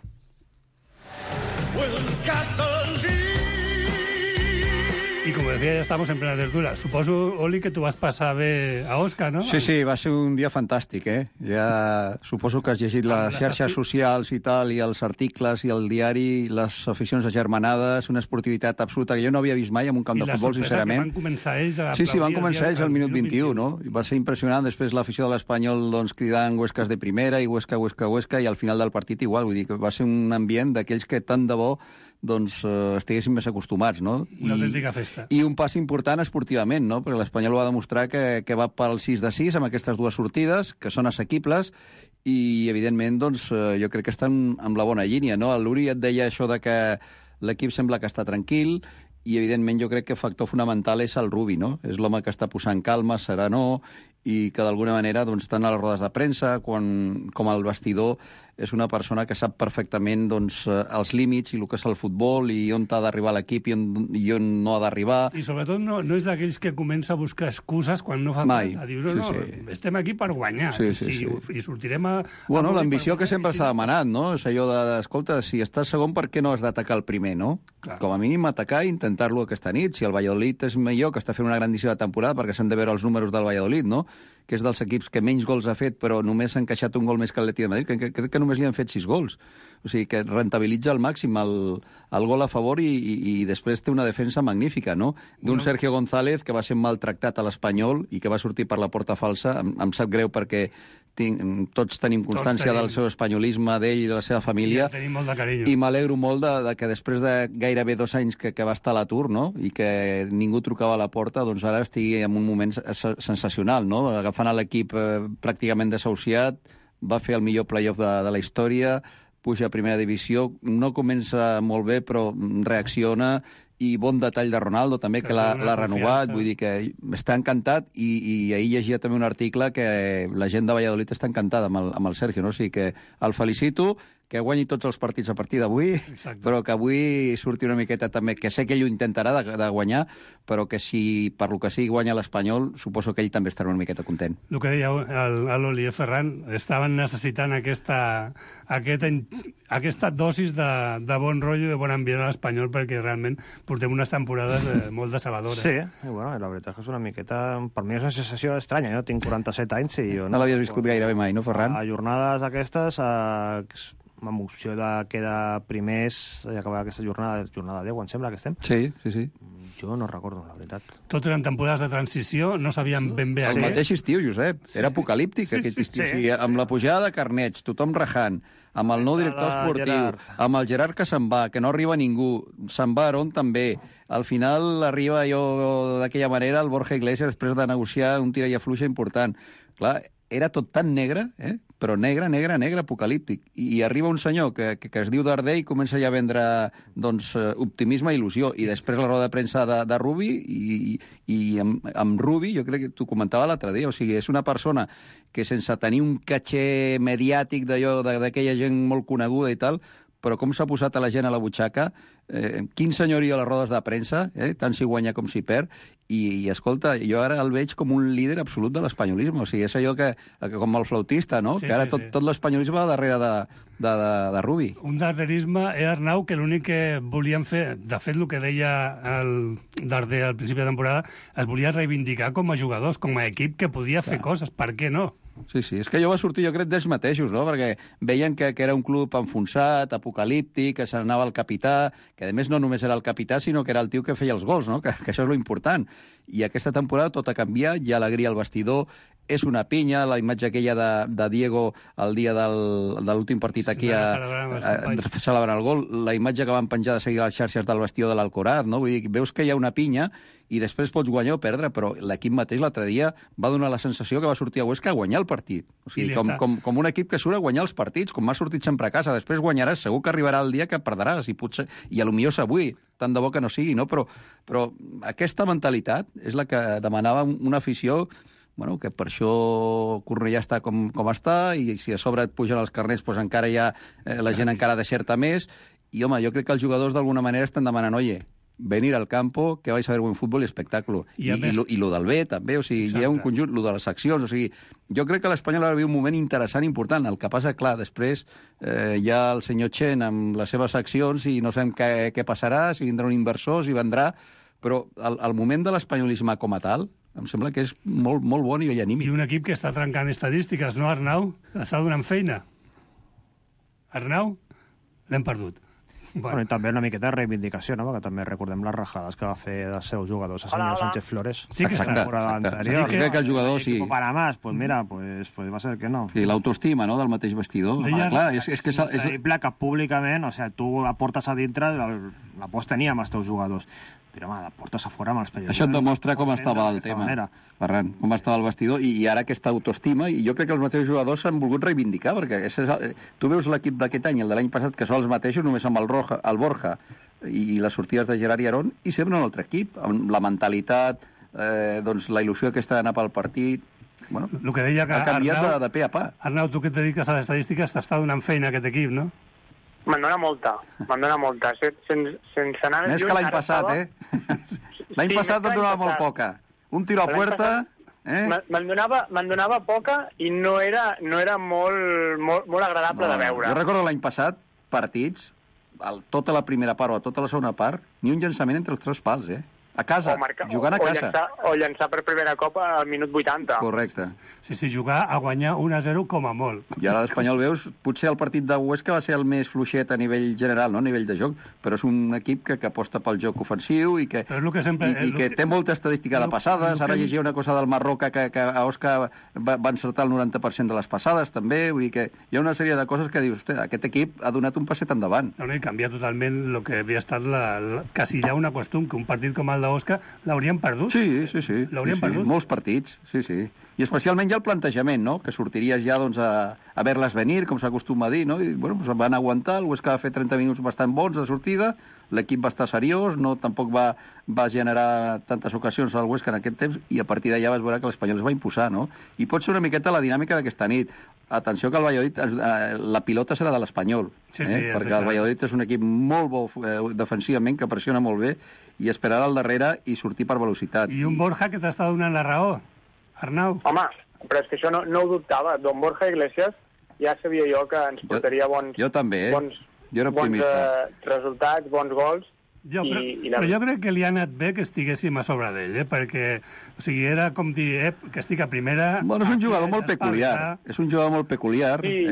I com decía, ja estamos en plena tertúlia. Suposo, Oli, que tu vas passar bé a Osca, no? Sí, sí, va ser un dia fantàstic, eh? Ja suposo que has llegit les xarxes socials i tal, i els articles i el diari, les aficions agermanades, una esportivitat absoluta que jo no havia vist mai en un camp de futbol, sincerament. I la sorpresa que van començar ells a Sí, van començar ells al minut 21, no? I va ser impressionant, després l'afició de l'Espanyol doncs, cridant Huescas de primera i Huesca, Huesca, Huesca, i al final del partit igual, vull dir que va ser un ambient d'aquells que tant de bo doncs estiguéssim més acostumats, no? Una autèntica festa. I un pas important esportivament, no? Perquè l'Espanyol va demostrar que va pel 6 de 6 amb aquestes dues sortides, que són assequibles, i evidentment doncs, jo crec que estan amb la bona línia, no? El Luri et deia això de que l'equip sembla que està tranquil, i evidentment jo crec que el factor fonamental és el Rubi, no? És l'home que està posant calma, serenor, i que d'alguna manera, doncs, tant a les rodes de premsa com al vestidor, és una persona que sap perfectament doncs, els límits i el que és el futbol i on ha d'arribar l'equip i on no ha d'arribar. I sobretot no és d'aquells que comença a buscar excuses quan no fa falta. Diu, no, estem aquí per guanyar i sortirem a... Bueno, l'ambició que sempre s'ha demanat, no? És allò escolta, si estàs segon, per què no has d'atacar el primer, no? Com a mínim atacar i intentar-lo aquesta nit. Si el Valladolid és millor, que està fent una grandíssima temporada, perquè s'han de veure els números del Valladolid, no? Que és dels equips que menys gols ha fet, però només s'ha encaixat un gol més que l'Atlètic de Madrid, crec que només li han fet 6 gols. O sigui, que rentabilitza al màxim el gol a favor i després té una defensa magnífica, no? D'un Sergio González que va ser maltractat a l'Espanyol i que va sortir per la porta falsa. Em sap greu perquè tots tenim constància del seu espanyolisme, d'ell i de la seva família. Tenim molt de carinyo. I m'alegro molt de que després de gairebé 2 anys que va estar a l'atur, no? I que ningú trucava a la porta, doncs ara estigui en un moment sensacional, no? Agafant l'equip pràcticament desahuciat, va fer el millor play-off de la història, puja a primera divisió, no comença molt bé, però reacciona, i bon detall de Ronaldo també, que l'ha renovat, vull dir que està encantat, i ahir llegia també un article que la gent de Valladolid està encantada amb el Sergio, no? O sigui que el felicito, que guanyi tots els partits a partir d'avui, però que avui surti una miqueta també, que sé que ell ho intentarà de guanyar, però que si per lo que sigui guanya l'Espanyol, suposo que ell també estarà una miqueta content. El que deia l'Oli Ferran, estaven necessitant aquesta dosis de bon rotllo i de bon ambient a l'Espanyol, perquè realment portem unes temporades molt decebedores. Sí, bueno, la veritat és que és una miqueta... Per mi és una sensació estranya, no? Tinc 47 anys i jo... No l'havies viscut gairebé mai, no, Ferran? A jornades aquestes, amb opció de quedar primers i acabar aquesta jornada 10, em sembla que estem. Sí, sí, sí. Jo no recordo, la veritat. Tot eren temporades de transició, no sabíem ben bé... El mateix estiu, Josep. Era apocalíptic, aquest estiu. Sí. Amb la pujada de carnets, tothom rajant, amb el nou director esportiu, amb el Gerard que se'n va, que no arriba ningú, se'n va Aarón també. Al final arriba jo d'aquella manera el Borja Iglesias després de negociar un tira i afluixa important. Clar, era tot tan negre, però negre, negre, negre, apocalíptic. I arriba un senyor que es diu Darder i comença ja a vendre doncs, optimisme i il·lusió. I després la roda de premsa de Rubi, i amb Rubi, jo crec que t'ho comentava l'altre dia, o sigui, és una persona que sense tenir un caché mediàtic d'aquella gent molt coneguda i tal, però com s'ha posat a la gent a la butxaca, quin senyoria a les rodes de premsa, tant si guanya com si perd, i escolta, jo ara el veig com un líder absolut de l'espanyolisme, o sigui, és allò que com el flautista, no? Sí, que ara tot l'espanyolisme va darrere de Rubi. Un darderisme, Arnau, que l'únic que volien fer, de fet, el que deia el Darder al principi de temporada, es volia reivindicar com a jugadors, com a equip que podia fer coses, per què no? Sí, és que allò va sortir, jo crec, d'ells mateixos, no? Perquè veien que era un club enfonsat, apocalíptic, que se n'anava el capità, que a més no només era el capità, sinó que era el tio que feia els gols, no? Que això és lo important. I aquesta temporada tot ha canviat, hi ha alegria al vestidor, és una pinya, la imatge aquella de Diego el dia de l'últim partit aquí celebrant el gol, la imatge que van penjar de seguida a les xarxes del vestidor de l'Alcoraz, no? Vull dir, veus que hi ha una pinya i després pots guanyar o perdre, però l'equip mateix l'altre dia va donar la sensació que va sortir a Huesca a guanyar el partit. O sigui, com un equip que surt a guanyar els partits, com m'ha sortit sempre a casa. Després guanyaràs, segur que arribarà el dia que perdràs, i potser a lo millor és avui, tant de bo que no sigui, no? Però aquesta mentalitat és la que demanava una afició, bueno, que per això Cornellà està com està, i si a sobre et pugen els carnets, doncs encara hi ha la gent encara deserta més, i home, jo crec que els jugadors d'alguna manera estan demanant, oye, venir al campo, que vais a ver buen fútbol y espectáculo. I lo del B, també, o sigui, hi ha un conjunt, lo de les accions, o sigui, jo crec que l'Espanyol ara viu un moment interessant i important. El que passa, clar, després hi ha el senyor Chen amb les seves accions i no sabem què passarà, si vindrà un inversor, si vendrà, però el moment de l'espanyolisme com a tal em sembla que és molt, molt bon i anímic. I un equip que està trencant estadístiques, no, Arnau? Està donant feina. Arnau? L'hem perdut. Bueno, i també una miqueta de reivindicació, no? Perquè també recordem les rajades que va fer dels seus jugadors a senyor Sánchez Flores. Sí que la temporada anterior. Sí, que el jugador, sí. Para más, pues mira, pues va ser que no. Sí, l'autoestima, no?, del mateix vestidor. Clar, és que és increïble que públicament, o sigui, tu la portes a dintre, la pots tenir amb els teus jugadors, però home, la portes a fora amb els periodistes. Això et demostra com estava el tema, Ferran, com estava el vestidor, i ara aquesta autoestima, i jo crec que els mateixos jugadors s'han volgut reivindicar, perquè tu veus l'equip d'aquest any i el de l'any passat, que són els mateixos, només amb el Borja i les sortides de Gerard i Aarón, i sempre un altre equip, amb la mentalitat, doncs la il·lusió aquesta d'anar pel partit. Bueno, el que deia que ha canviat de pe a pa. Arnau, tu que et dediques a l'estadística, t'està donant feina aquest equip, no? Me'n dona molta. Sense anar més que l'any passat, L'any passat et donava molt poca. Un tiro a puerta... Me'n donava poca i no era molt agradable de veure. Jo recordo l'any passat, partits, tota la primera part o tota la segona part, ni un llançament entre els tres pals, a casa, jugant a casa. O llançar per primera cop al minut 80. Correcte. Sí, jugar a guanyar 1-0 com a molt. I ara l'Espanyol, veus, potser el partit de Huesca va ser el més fluixet a nivell general, no a nivell de joc, però és un equip que aposta pel joc ofensiu i que té molta estadística de passades. Ara llegia una cosa del Marroca que a Òscar va encertar el 90% de les passades, també. Vull dir que hi ha una sèrie de coses que dius, aquest equip ha donat un passet endavant. I canvia totalment el que havia estat quasi ja una costum, que un partit com el d'Òscar l'haurien perdut. Sí. L'haurien perdut. Molts partits, sí. I especialment ja el plantejament, no?, que sortiries ja doncs, a ver-les venir, com s'acostuma a dir, no? I bueno, doncs van aguantar, el Huesca va fer 30 minuts bastant bons de sortida, l'equip va estar seriós, tampoc va generar tantes ocasions al Huesca en aquest temps, i a partir d'allà vas veure que l'Espanyol es va imposar, no? I pot ser una miqueta la dinàmica d'aquesta nit. Atenció que el Valladolid, la pilota serà de l'Espanyol, perquè el Valladolid és un equip molt bo defensivament, que pressiona molt bé, i esperarà al darrere i sortir per velocitat. I un Borja que t'està donant la raó, Arnau. Home, però és que això no ho dubtava. Don Borja Iglesias ja sabia jo que ens portaria bons resultats, bons gols. Però jo crec que li ha anat bé que estiguéssim a sobre d'ell, perquè era com dir que estic a primera... Bueno, és un jugador molt peculiar. És un jugador molt peculiar. Sí,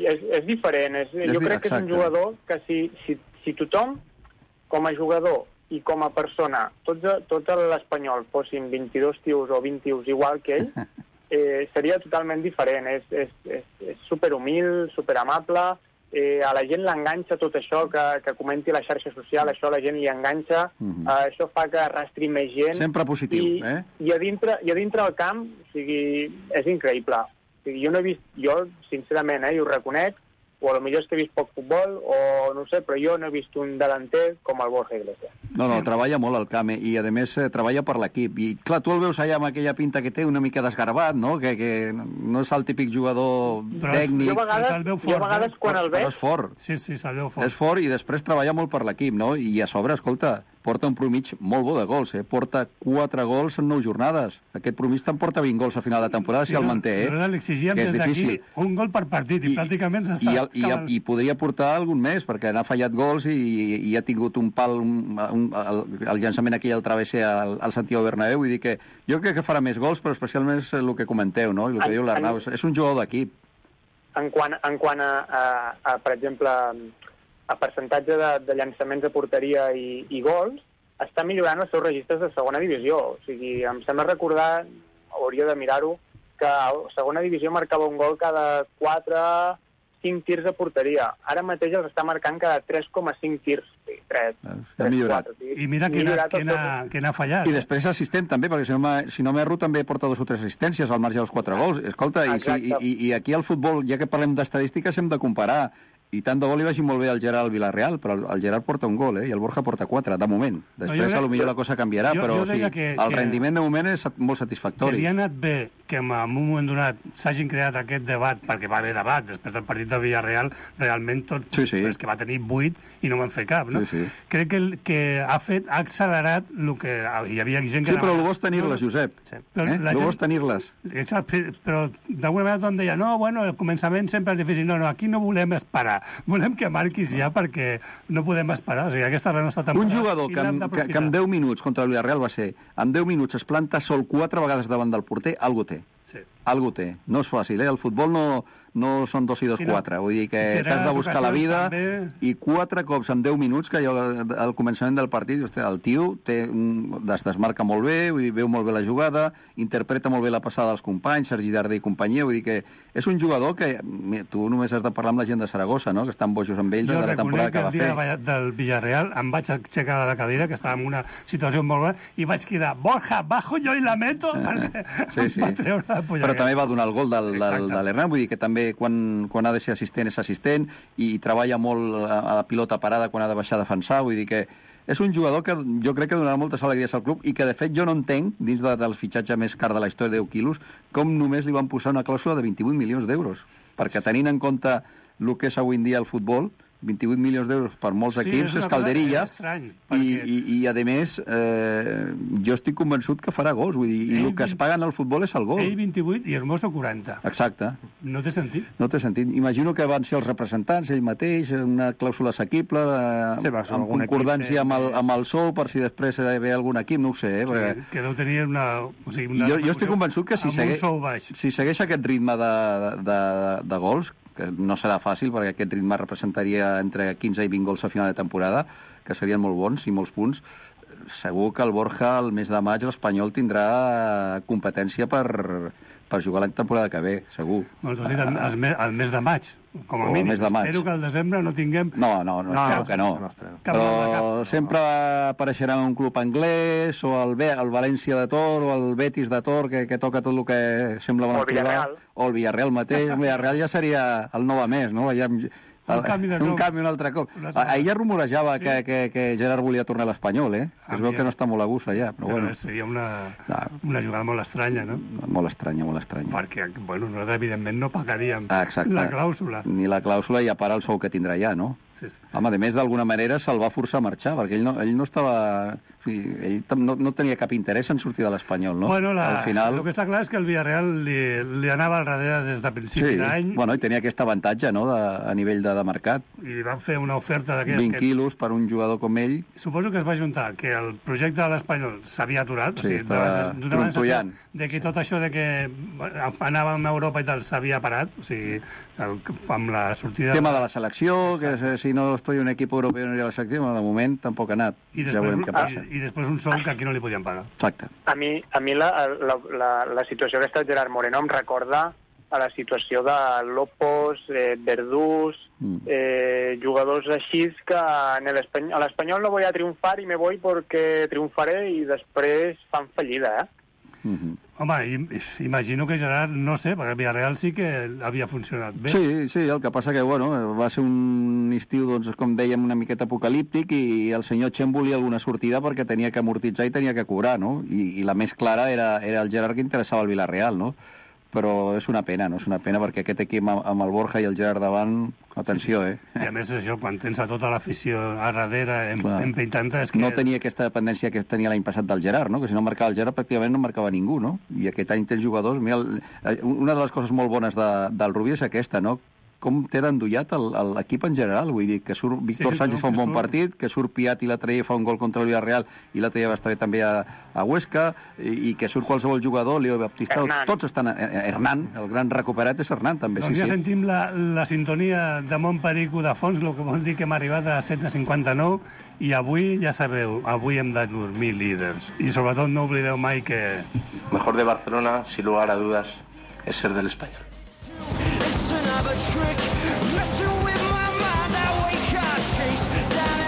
és diferent. Jo crec que és un jugador que si tothom, com a jugador i com a persona, tot l'Espanyol fossin 22 tios o 20 tios igual que ell, seria totalment diferent. És superhumil, superamable, a la gent l'enganxa tot això, que comenti a la xarxa social, això a la gent li enganxa, això fa que arrastri més gent. Sempre positiu, I a dintre del camp, és increïble. Jo no he vist, sincerament, i ho reconec, o potser és que he vist poc futbol, o no sé, però jo no he vist un delanter com el Borja Iglesias. No, treballa molt al camp, i a més treballa per l'equip. I clar, tu el veus allà amb aquella pinta que té, una mica desgarbat, no? Que no és el típic jugador tècnic. Jo a vegades quan el veig... Però és fort. Sí, se'l veu fort. És fort i després treballa molt per l'equip, no? I a sobre, escolta, porta un promig molt bo de gols, porta 4 gols en 9 jornades. Aquest promig te'n porta 20 gols a final de temporada si el manté, L'exigíem des d'aquí un gol per partit i pràcticament s'està... I podria portar algun més, perquè n'ha fallat gols i ha tingut un pal, el llançament aquí al travesser al Santiago Bernabéu, vull dir que jo crec que farà més gols, però especialment el que comenteu, no? I el que diu l'Arnau, és un jugador d'equip. En quant a, per exemple, a percentatge de llançaments a porteria i gols, està millorant els seus registres de segona divisió. O sigui, em sembla recordar, hauria de mirar-ho, que a segona divisió marcava un gol cada 4-5 tirs a porteria. Ara mateix els està marcant cada 3,5 tirs. 3, ha millorat. 4. I mira que n'ha fallat. I després assistent també, perquè si no m'erro també porta 2 o 3 assistències al marge dels 4 gols. Escolta, i aquí al futbol, ja que parlem d'estadístiques, hem de comparar. I tant de bo li vagi molt bé al Gerard al Villarreal, però el Gerard porta un gol, i el Borja porta 4, de moment. Després, potser la cosa canviarà, però el rendiment de moment és molt satisfactori. Que li ha anat bé que en un moment donat s'hagin creat aquest debat, perquè va haver debat, després del partit del Villarreal, realment tot, és que va tenir 8 i no van fer cap, no? Crec que ha accelerat el que hi havia gent que... Sí, però el bo és tenir-les, Josep. El bo és tenir-les. Però d'alguna vegada tothom deia, no, bueno, el començament sempre és difícil. No, aquí no volem esperar. Volem que marquis ja perquè no podem esperar. O sigui, aquesta és la nostra temporada. Un jugador que en 10 minuts contra el Villarreal va ser, en 10 minuts es planta sol 4 vegades davant del porter, algú té. Algú té. No és fàcil, El futbol no són 2 i 2, 4. Vull dir que t'has de buscar la vida i 4 cops en 10 minuts, que jo al començament del partit, el tio es desmarca molt bé, vull dir, veu molt bé la jugada, interpreta molt bé la passada dels companys, Sergi Darder i companyia, vull dir que és un jugador que tu només has de parlar amb la gent de Saragossa, no? Que estan bojos amb ell de la temporada que va fer. Jo reconec que el dia del Villarreal em vaig aixecar de la cadira, que estava en una situació molt bona, i vaig cridar, Borja, bajo yo y la meto, perquè em va treure la polleguera. Però també va donar el gol de l'Hernán, vull dir que també quan ha de ser assistent és assistent i treballa molt a la pilota parada quan ha de baixar a defensar, vull dir que és un jugador que jo crec que donarà moltes alegries al club i que de fet jo no entenc, dins del fitxatge més car de la història de 10 quilos, com només li van posar una clàusula de 28 milions d'euros, perquè tenint en compte el que és avui en dia el futbol, 28 milions d'euros per molts equips és calderilla, i a més jo estic convençut que farà gols, vull dir, i el que es paguen al futbol és el gol. Ell 28 i Hermoso 40. Exacte. No té sentit. No té sentit. Imagino que van ser els representants, ell mateix, una clàusula assequible, amb concordància amb el sou, per si després ve algun equip, no ho sé. Que deu tenir una... Jo estic convençut que si segueix aquest ritme de gols, que no serà fàcil, perquè aquest ritme representaria entre 15 i 20 gols a final de temporada, que serien molt bons i molts punts. Segur que el Borja, el mes de maig, l'Espanyol tindrà competència per jugar la temporada que ve, segur. Doncs has dit el mes de maig, com a mínim. Espero que al desembre no tinguem... No, espero que no. Però sempre apareixerà un club anglès, o el València de Tor, o el Betis de Tor, que toca tot el que sembla bona activitat. O el Villarreal mateix. El Villarreal ja seria el nou a més, no? Un canvi un altre cop. Ahir ja rumorejava que Gerard volia tornar a l'Espanyol, Es veu que no està molt a gust allà, però bueno. Seria una jugada molt estranya, no? Molt estranya. Perquè, bueno, nosaltres evidentment no pagaríem la clàusula. Ni la clàusula i a part el sou que tindrà allà, no? Home, a més, d'alguna manera se'l va forçar a marxar, perquè ell no estava... Ell no tenia cap interès en sortir de l'Espanyol, no? Bueno, el que està clar és que el Villarreal li anava al darrere des de principi d'any. Bueno, i tenia aquest avantatge, no?, a nivell de mercat. I van fer una oferta d'aquestes... 20 quilos per un jugador com ell. Suposo que es va juntar que el projecte de l'Espanyol s'havia aturat, està trontollant. De que tot això de que anàvem a Europa i tal s'havia parat, o sigui, amb la sortida... Tema de la selecció, que si no estoy en un equip europeu no anirà a la selecció, de moment tampoc ha anat. Ja veurem què passa. I després un sou que aquí no li podien pagar. Exacte. A mi la situació que està Gerard Moreno em recorda a la situació de Lopos, Verdús, jugadors així que a l'Espanyol no voy a triunfar y me voy porque triunfaré i després fan fallida, Home, imagino que Gerard, no sé, perquè el Villarreal sí que havia funcionat bé. Sí, el que passa que, bueno, va ser un estiu, doncs, com dèiem, una miqueta apocalíptic i el senyor Chen volia alguna sortida perquè tenia que amortitzar i tenia que cobrar, no? I la més clara era el Gerard que interessava el Villarreal, no? Però és una pena perquè aquest equip amb el Borja i el Gerard davant, Atenció, I a més això, quan tens a tota l'afició a darrere empeintant-te... No tenia aquesta dependència que tenia l'any passat del Gerard, no? Que si no marcava el Gerard pràcticament no marcava ningú, no? I aquest any tens jugadors... Mira, una de les coses molt bones del Rubí és aquesta, no? Com té d'endollat l'equip en general, vull dir, que surt Víctor Sánchez fa un bon partit, que surt Piat i l'altre dia fa un gol contra el Villarreal i l'altre dia va estar bé també a Huesca, i que surt qualsevol jugador, Leo Baptista, tots estan... Hernán, el gran recuperat és Hernán, també. Doncs ja sentim la sintonia de Montperico de fons, el que vol dir que hem arribat a 16:59, i avui, ja sabeu, avui hem de dormir líders. I sobretot no oblideu mai que... Mejor de Barcelona, sin lugar a dudas, es ser del Español. Another trick, messing with my mind. I wake up, chase down